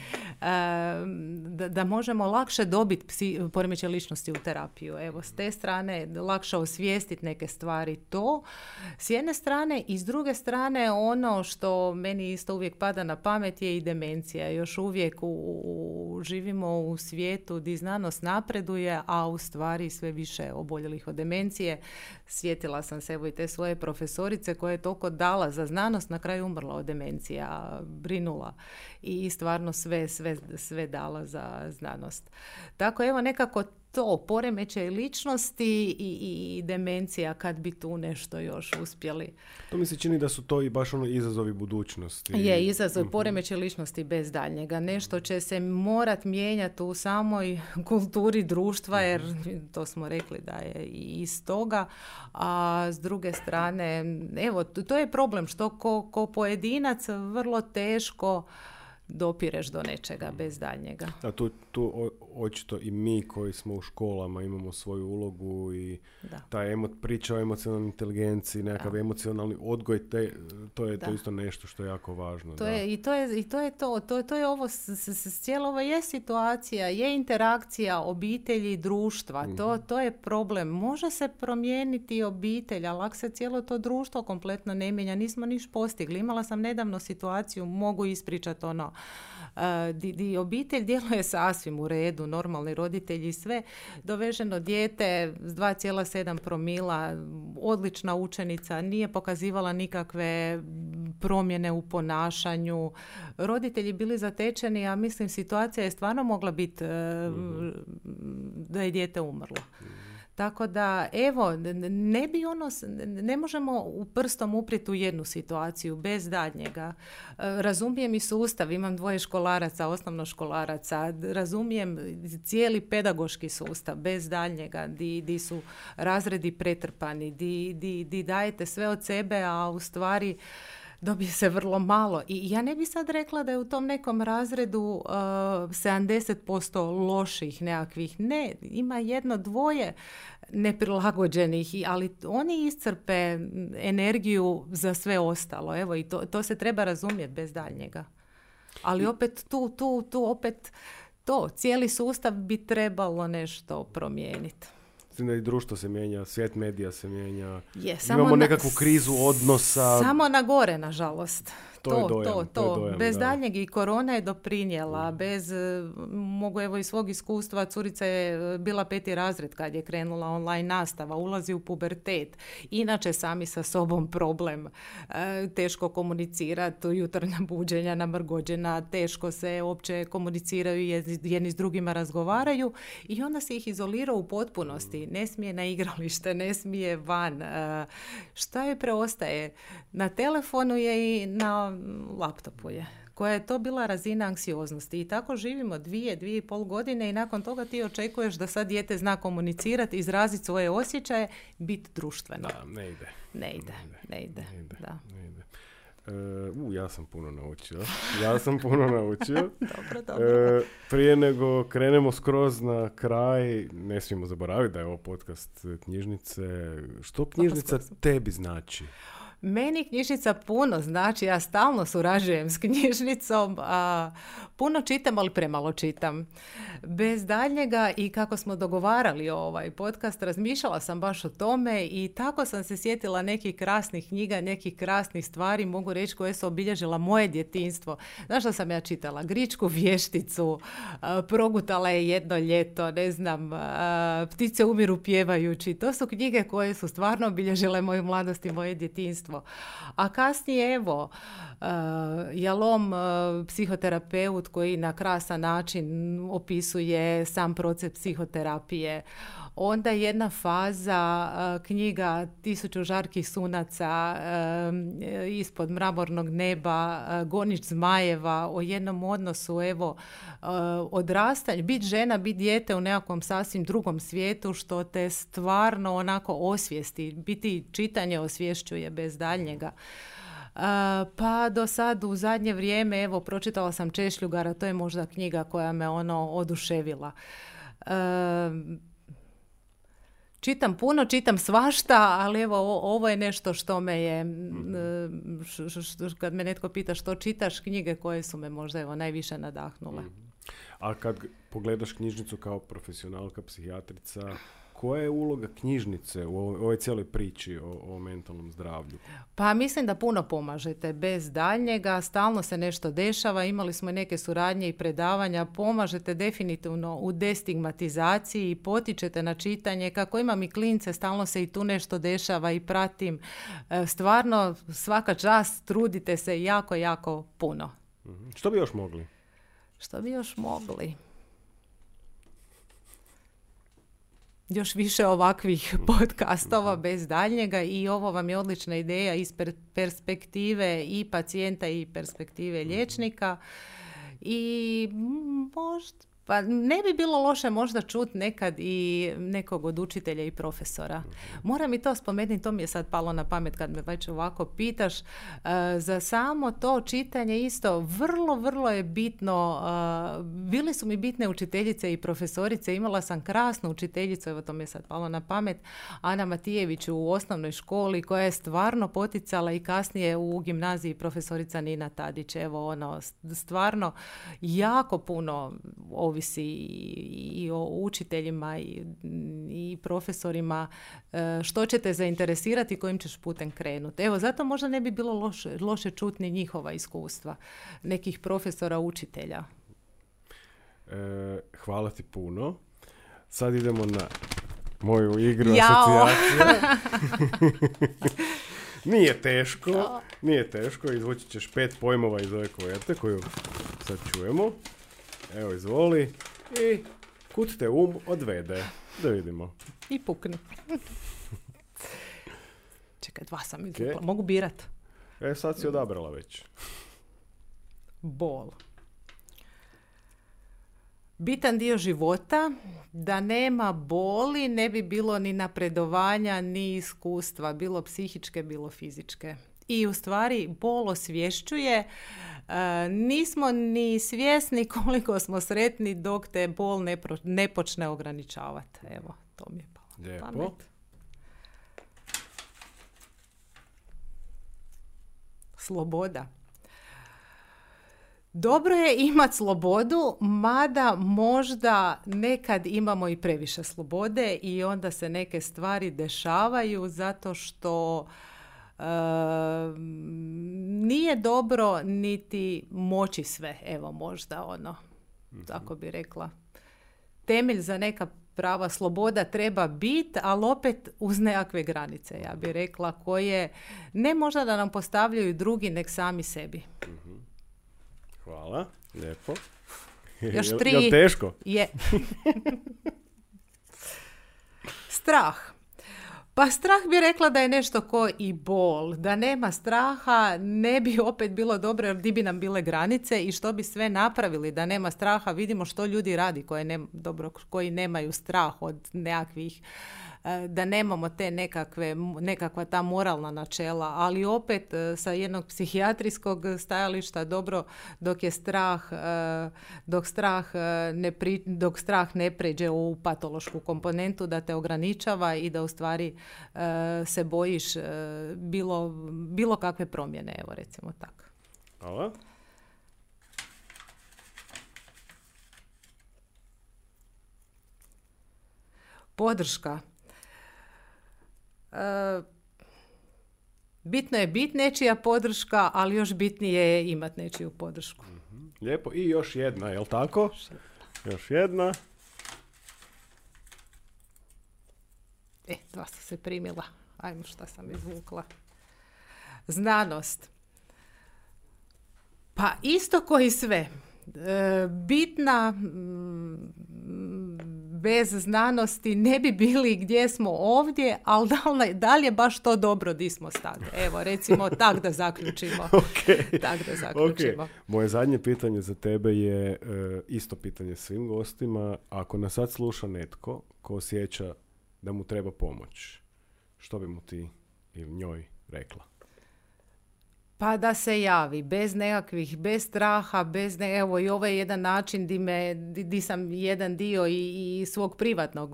da, da možemo lakše dobiti psi, poremećaj ličnosti u terapiju. Evo, s te strane lakše osvijestiti neke stvari, to s jedne strane, i s druge strane ono što meni isto uvijek pada na pamet je i demencija. Još uvijek u, u, živimo u svijetu gdje znanost napreduje, a u stvari sve više oboljelih od demencije. sjetila sam se evo i te svoje profesorice koja je toliko dala za znanost, na kraju umrla od demencija, brinula i stvarno sve, sve, sve dala za znanost. Tako evo nekako to, poremećaj ličnosti i, i demencija, kad bi tu nešto još uspjeli. To mi se čini da su to i baš ono izazovi budućnosti. Je, izazov, mm-hmm. poremećaj ličnosti bez daljnjega. Nešto će se morat mijenjati u samoj kulturi društva, jer to smo rekli da je i iz toga. A s druge strane, evo, to je problem što ko, ko pojedinac vrlo teško dopireš do nečega bez daljnjega. A tu, tu o, očito i mi koji smo u školama imamo svoju ulogu i da. Ta emo, priča o emocionalnoj inteligenciji, nekakav da. Emocionalni odgoj, te, to je da. To isto nešto što je jako važno. To da. Je, i, to je, I to je to. To, to je ovo, s, s, s, cijelo ovo je situacija, je interakcija obitelji i društva. Mm. To, to je problem. Može se promijeniti obitelj, ali ako se cijelo to društvo kompletno ne mijenja, nismo niš postigli. Imala sam nedavno situaciju, mogu ispričati ono, Uh, di, di obitelj djeluje sasvim u redu, normalni roditelji, sve, doveženo dijete s dva zarez sedam promila, odlična učenica, nije pokazivala nikakve promjene u ponašanju, roditelji bili zatečeni, a mislim situacija je stvarno mogla biti uh, mm-hmm. da je dijete umrlo. Mm-hmm. Tako da, evo, ne bi ono, ne možemo u prstom uprijeti u jednu situaciju bez daljnjega. Razumijem i sustav, imam dvoje školaraca, osnovnoškolaraca, razumijem cijeli pedagoški sustav bez daljnjega, di, di su razredi pretrpani, di, di, di dajete sve od sebe, a u stvari dobije se vrlo malo. I ja ne bi sad rekla da je u tom nekom razredu uh, sedamdeset posto loših nekakvih. Ne, ima jedno, dvoje neprilagođenih, ali oni iscrpe energiju za sve ostalo. Evo, i to, to se treba razumjeti bez daljnjega. Ali opet tu, tu, tu opet to, cijeli sustav bi trebalo nešto promijeniti. Da i društvo se mijenja, svijet medija se mijenja. Je, imamo na, nekakvu krizu odnosa. Samo na gore, nažalost. To, to, je dojam, to, to, to. je dojam, bez da. daljnjeg i korona je doprinijela. Mm. Bez, mogu evo iz svog iskustva, curica je bila peti razred kad je krenula online nastava, ulazi u pubertet. Inače sami sa sobom problem. E, teško komunicirati, jutarnja buđenja, namrgođena, teško se uopće komuniciraju, jedni s drugima razgovaraju i onda se ih izolira u potpunosti. Ne smije na igralište, ne smije van. E, šta joj preostaje? Na telefonu je i na laptopu je, koja je to bila razina anksioznosti. I tako živimo dvije, dvije i pol godine i nakon toga ti očekuješ da sad dijete zna komunicirati, izraziti svoje osjećaje, biti društveno. Da, ne ide. Ne ide, ne ide. Ne ide. Da. Ne ide. Uh, ja sam puno naučio. Ja sam puno naučio. Dobro, dobro. Uh, prije nego krenemo skroz na kraj, ne smijemo zaboraviti da je ovo podcast knjižnice. Što knjižnica tebi znači? Meni knjižnica puno znači, ja stalno surađujem s knjižnicom, a puno čitam, ali premalo čitam. Bez daljnjega i kako smo dogovarali ovaj podcast, razmišljala sam baš o tome i tako sam se sjetila nekih krasnih knjiga, nekih krasnih stvari, mogu reći, koje su obilježila moje djetinjstvo. Znaš što sam ja čitala? Gričku vješticu, Progutala je jedno ljeto, ne znam, Ptice umiru pjevajući. To su knjige koje su stvarno obilježile moju mladost i moje djetinjstvo. A kasnije, evo, uh, Jalom, uh, psihoterapeut koji na krasan način opisuje sam proces psihoterapije. Onda jedna faza, uh, knjiga Tisuću žarkih sunaca, uh, Ispod mramornog neba, uh, Gonič zmajeva, o jednom odnosu, evo, uh, odrastanje, biti žena, biti dijete u nekakvom sasvim drugom svijetu, što te stvarno onako osvijesti. Biti čitanje osvješćuje bez daljnjega. Uh, pa do sad u zadnje vrijeme, evo, pročitala sam Češljugara, to je možda knjiga koja me ono oduševila. Uh, Čitam puno, čitam svašta, ali evo ovo je nešto što me je, mm-hmm. š, š, š, kad me netko pita što čitaš, knjige koje su me možda evo najviše nadahnule. Mm-hmm. A kad pogledaš knjižnicu kao profesionalka, psihijatrica, koja je uloga knjižnice u ovoj, ovoj cijeloj priči o, o mentalnom zdravlju? Pa mislim da puno pomažete bez daljnjega, stalno se nešto dešava, imali smo i neke suradnje i predavanja, pomažete definitivno u destigmatizaciji i potičete na čitanje, kako imam i klince, stalno se i tu nešto dešava i pratim. Stvarno, svaka čast, trudite se jako, jako puno. Mm-hmm. Što bi još mogli? Što bi još mogli? Još više ovakvih podcastova bez daljnjega i ovo vam je odlična ideja iz per- perspektive i pacijenta i perspektive liječnika i možda, pa ne bi bilo loše možda čuti nekad i nekog od učitelja i profesora. Moram i to spomenuti, to mi je sad palo na pamet kad me već ovako pitaš. Uh, za samo to čitanje isto vrlo, vrlo je bitno. Uh, bili su mi bitne učiteljice i profesorice. Imala sam krasnu učiteljicu, evo to mi je sad palo na pamet, Ana Matijević u osnovnoj školi koja je stvarno poticala i kasnije u gimnaziji profesorica Nina Tadić. Evo ono, stvarno jako puno ovisi i o učiteljima i, i profesorima što će te zainteresirati i kojim ćeš putem krenuti. Evo, zato možda ne bi bilo loše, loše čuti ni njihova iskustva nekih profesora, učitelja. E, hvala ti puno. Sad idemo na moju igru asocijacija. Nije teško, nije teško. Izvući ćeš pet pojmova iz ove kuverte koju sad čujemo. Evo, izvoli. I kud te um odvede. Da vidimo. I pukni. Čekaj, dva sam izvukla. Okay. Mogu birat? E, sad si odabrala već. Bol. Bitan dio života, da nema boli ne bi bilo ni napredovanja, ni iskustva, bilo psihičke, bilo fizičke. I u stvari bol osvješćuje, e, nismo ni svjesni koliko smo sretni dok te bol ne, pro, ne počne ograničavati. Evo, to mi je palo na pamet. Sloboda. Dobro je imati slobodu, mada možda nekad imamo i previše slobode i onda se neke stvari dešavaju zato što uh, nije dobro niti moći sve. Evo možda ono, mm-hmm. tako bi rekla. Temelj za neka prava sloboda treba biti, ali opet uz nekakve granice, ja bih rekla, koje ne možda da nam postavljaju drugi, nek sami sebi. Mm-hmm. Hvala, lijepo. Još tri. Je teško? Je. Strah. Pa strah bi rekla da je nešto ko i bol. Da nema straha ne bi opet bilo dobro, jer di bi nam bile granice i što bi sve napravili da nema straha. Vidimo što ljudi radi koje ne, dobro, koji nemaju strah od nekakvih, da nemamo te nekakve, nekakva ta moralna načela, ali opet sa jednog psihijatrijskog stajališta dobro dok je strah, dok strah ne, pri, dok strah ne pređe u patološku komponentu, da te ograničava i da u stvari se bojiš bilo, bilo kakve promjene, evo recimo tako. Hvala. Podrška. Uh, bitno je biti nečija podrška, ali još bitnije je imati nečiju podršku. Mm-hmm. Lijepo. I još jedna, jel tako? Još jedna. E, dva sam se primila. Ajmo šta sam izvukla. Znanost. Pa isto koji sve. E, bitna m, bez znanosti ne bi bili gdje smo ovdje, ali da li, da li je baš to dobro di smo sad? Evo, recimo, tak da zaključimo. Okay. Tak da zaključimo. Okay. Moje zadnje pitanje za tebe je e, isto pitanje svim gostima. Ako nas sad sluša netko ko osjeća da mu treba pomoć, što bi mu ti ili njoj rekla? Pa da se javi, bez nekakvih, bez straha, bez ne, evo i ovo je jedan način di, me, di, di sam jedan dio i, i svog privatnog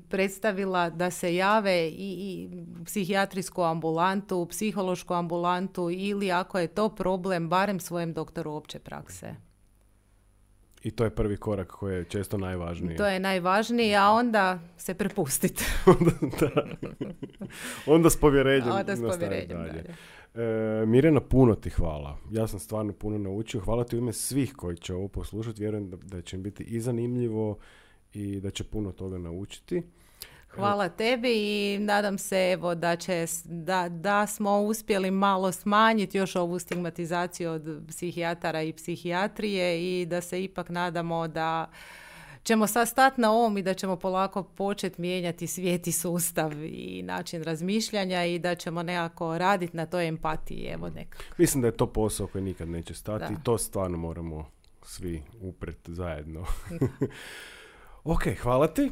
predstavila, da se jave i, i psihijatrijsku ambulantu, psihološku ambulantu ili ako je to problem, barem svojem doktoru opće prakse. I to je prvi korak koji je često najvažniji. To je najvažniji, a onda se prepustiti. Da. Onda s povjerenjem. Onda s povjerenjem dalje. dalje. E, Mirjana, puno ti hvala. Ja sam stvarno puno naučio. Hvala ti u ime svih koji će ovo poslušati. Vjerujem da, da će im biti i zanimljivo i da će puno toga naučiti. Hvala tebi i nadam se evo da, će, da, da smo uspjeli malo smanjiti još ovu stigmatizaciju od psihijatara i psihijatrije i da se ipak nadamo da ćemo sad stati na ovom i da ćemo polako početi mijenjati svijet i sustav i način razmišljanja i da ćemo nekako raditi na toj empatiji. Evo neka. Mislim da je to posao koji nikad neće stati Da. i to stvarno moramo svi upret zajedno. Ok, hvala ti.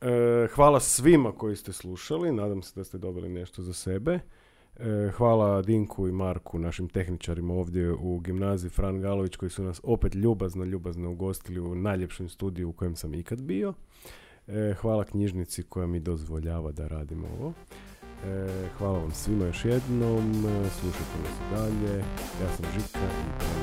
E, hvala svima koji ste slušali. Nadam se da ste dobili nešto za sebe. E, hvala Dinku i Marku, našim tehničarima ovdje u gimnaziji Fran Galović, koji su nas opet ljubazno, ljubazno ugostili u najljepšem studiju u kojem sam ikad bio. E, hvala knjižnici koja mi dozvoljava da radimo ovo. E, hvala vam svima još jednom. Slušajte nas i dalje. Ja sam Žika i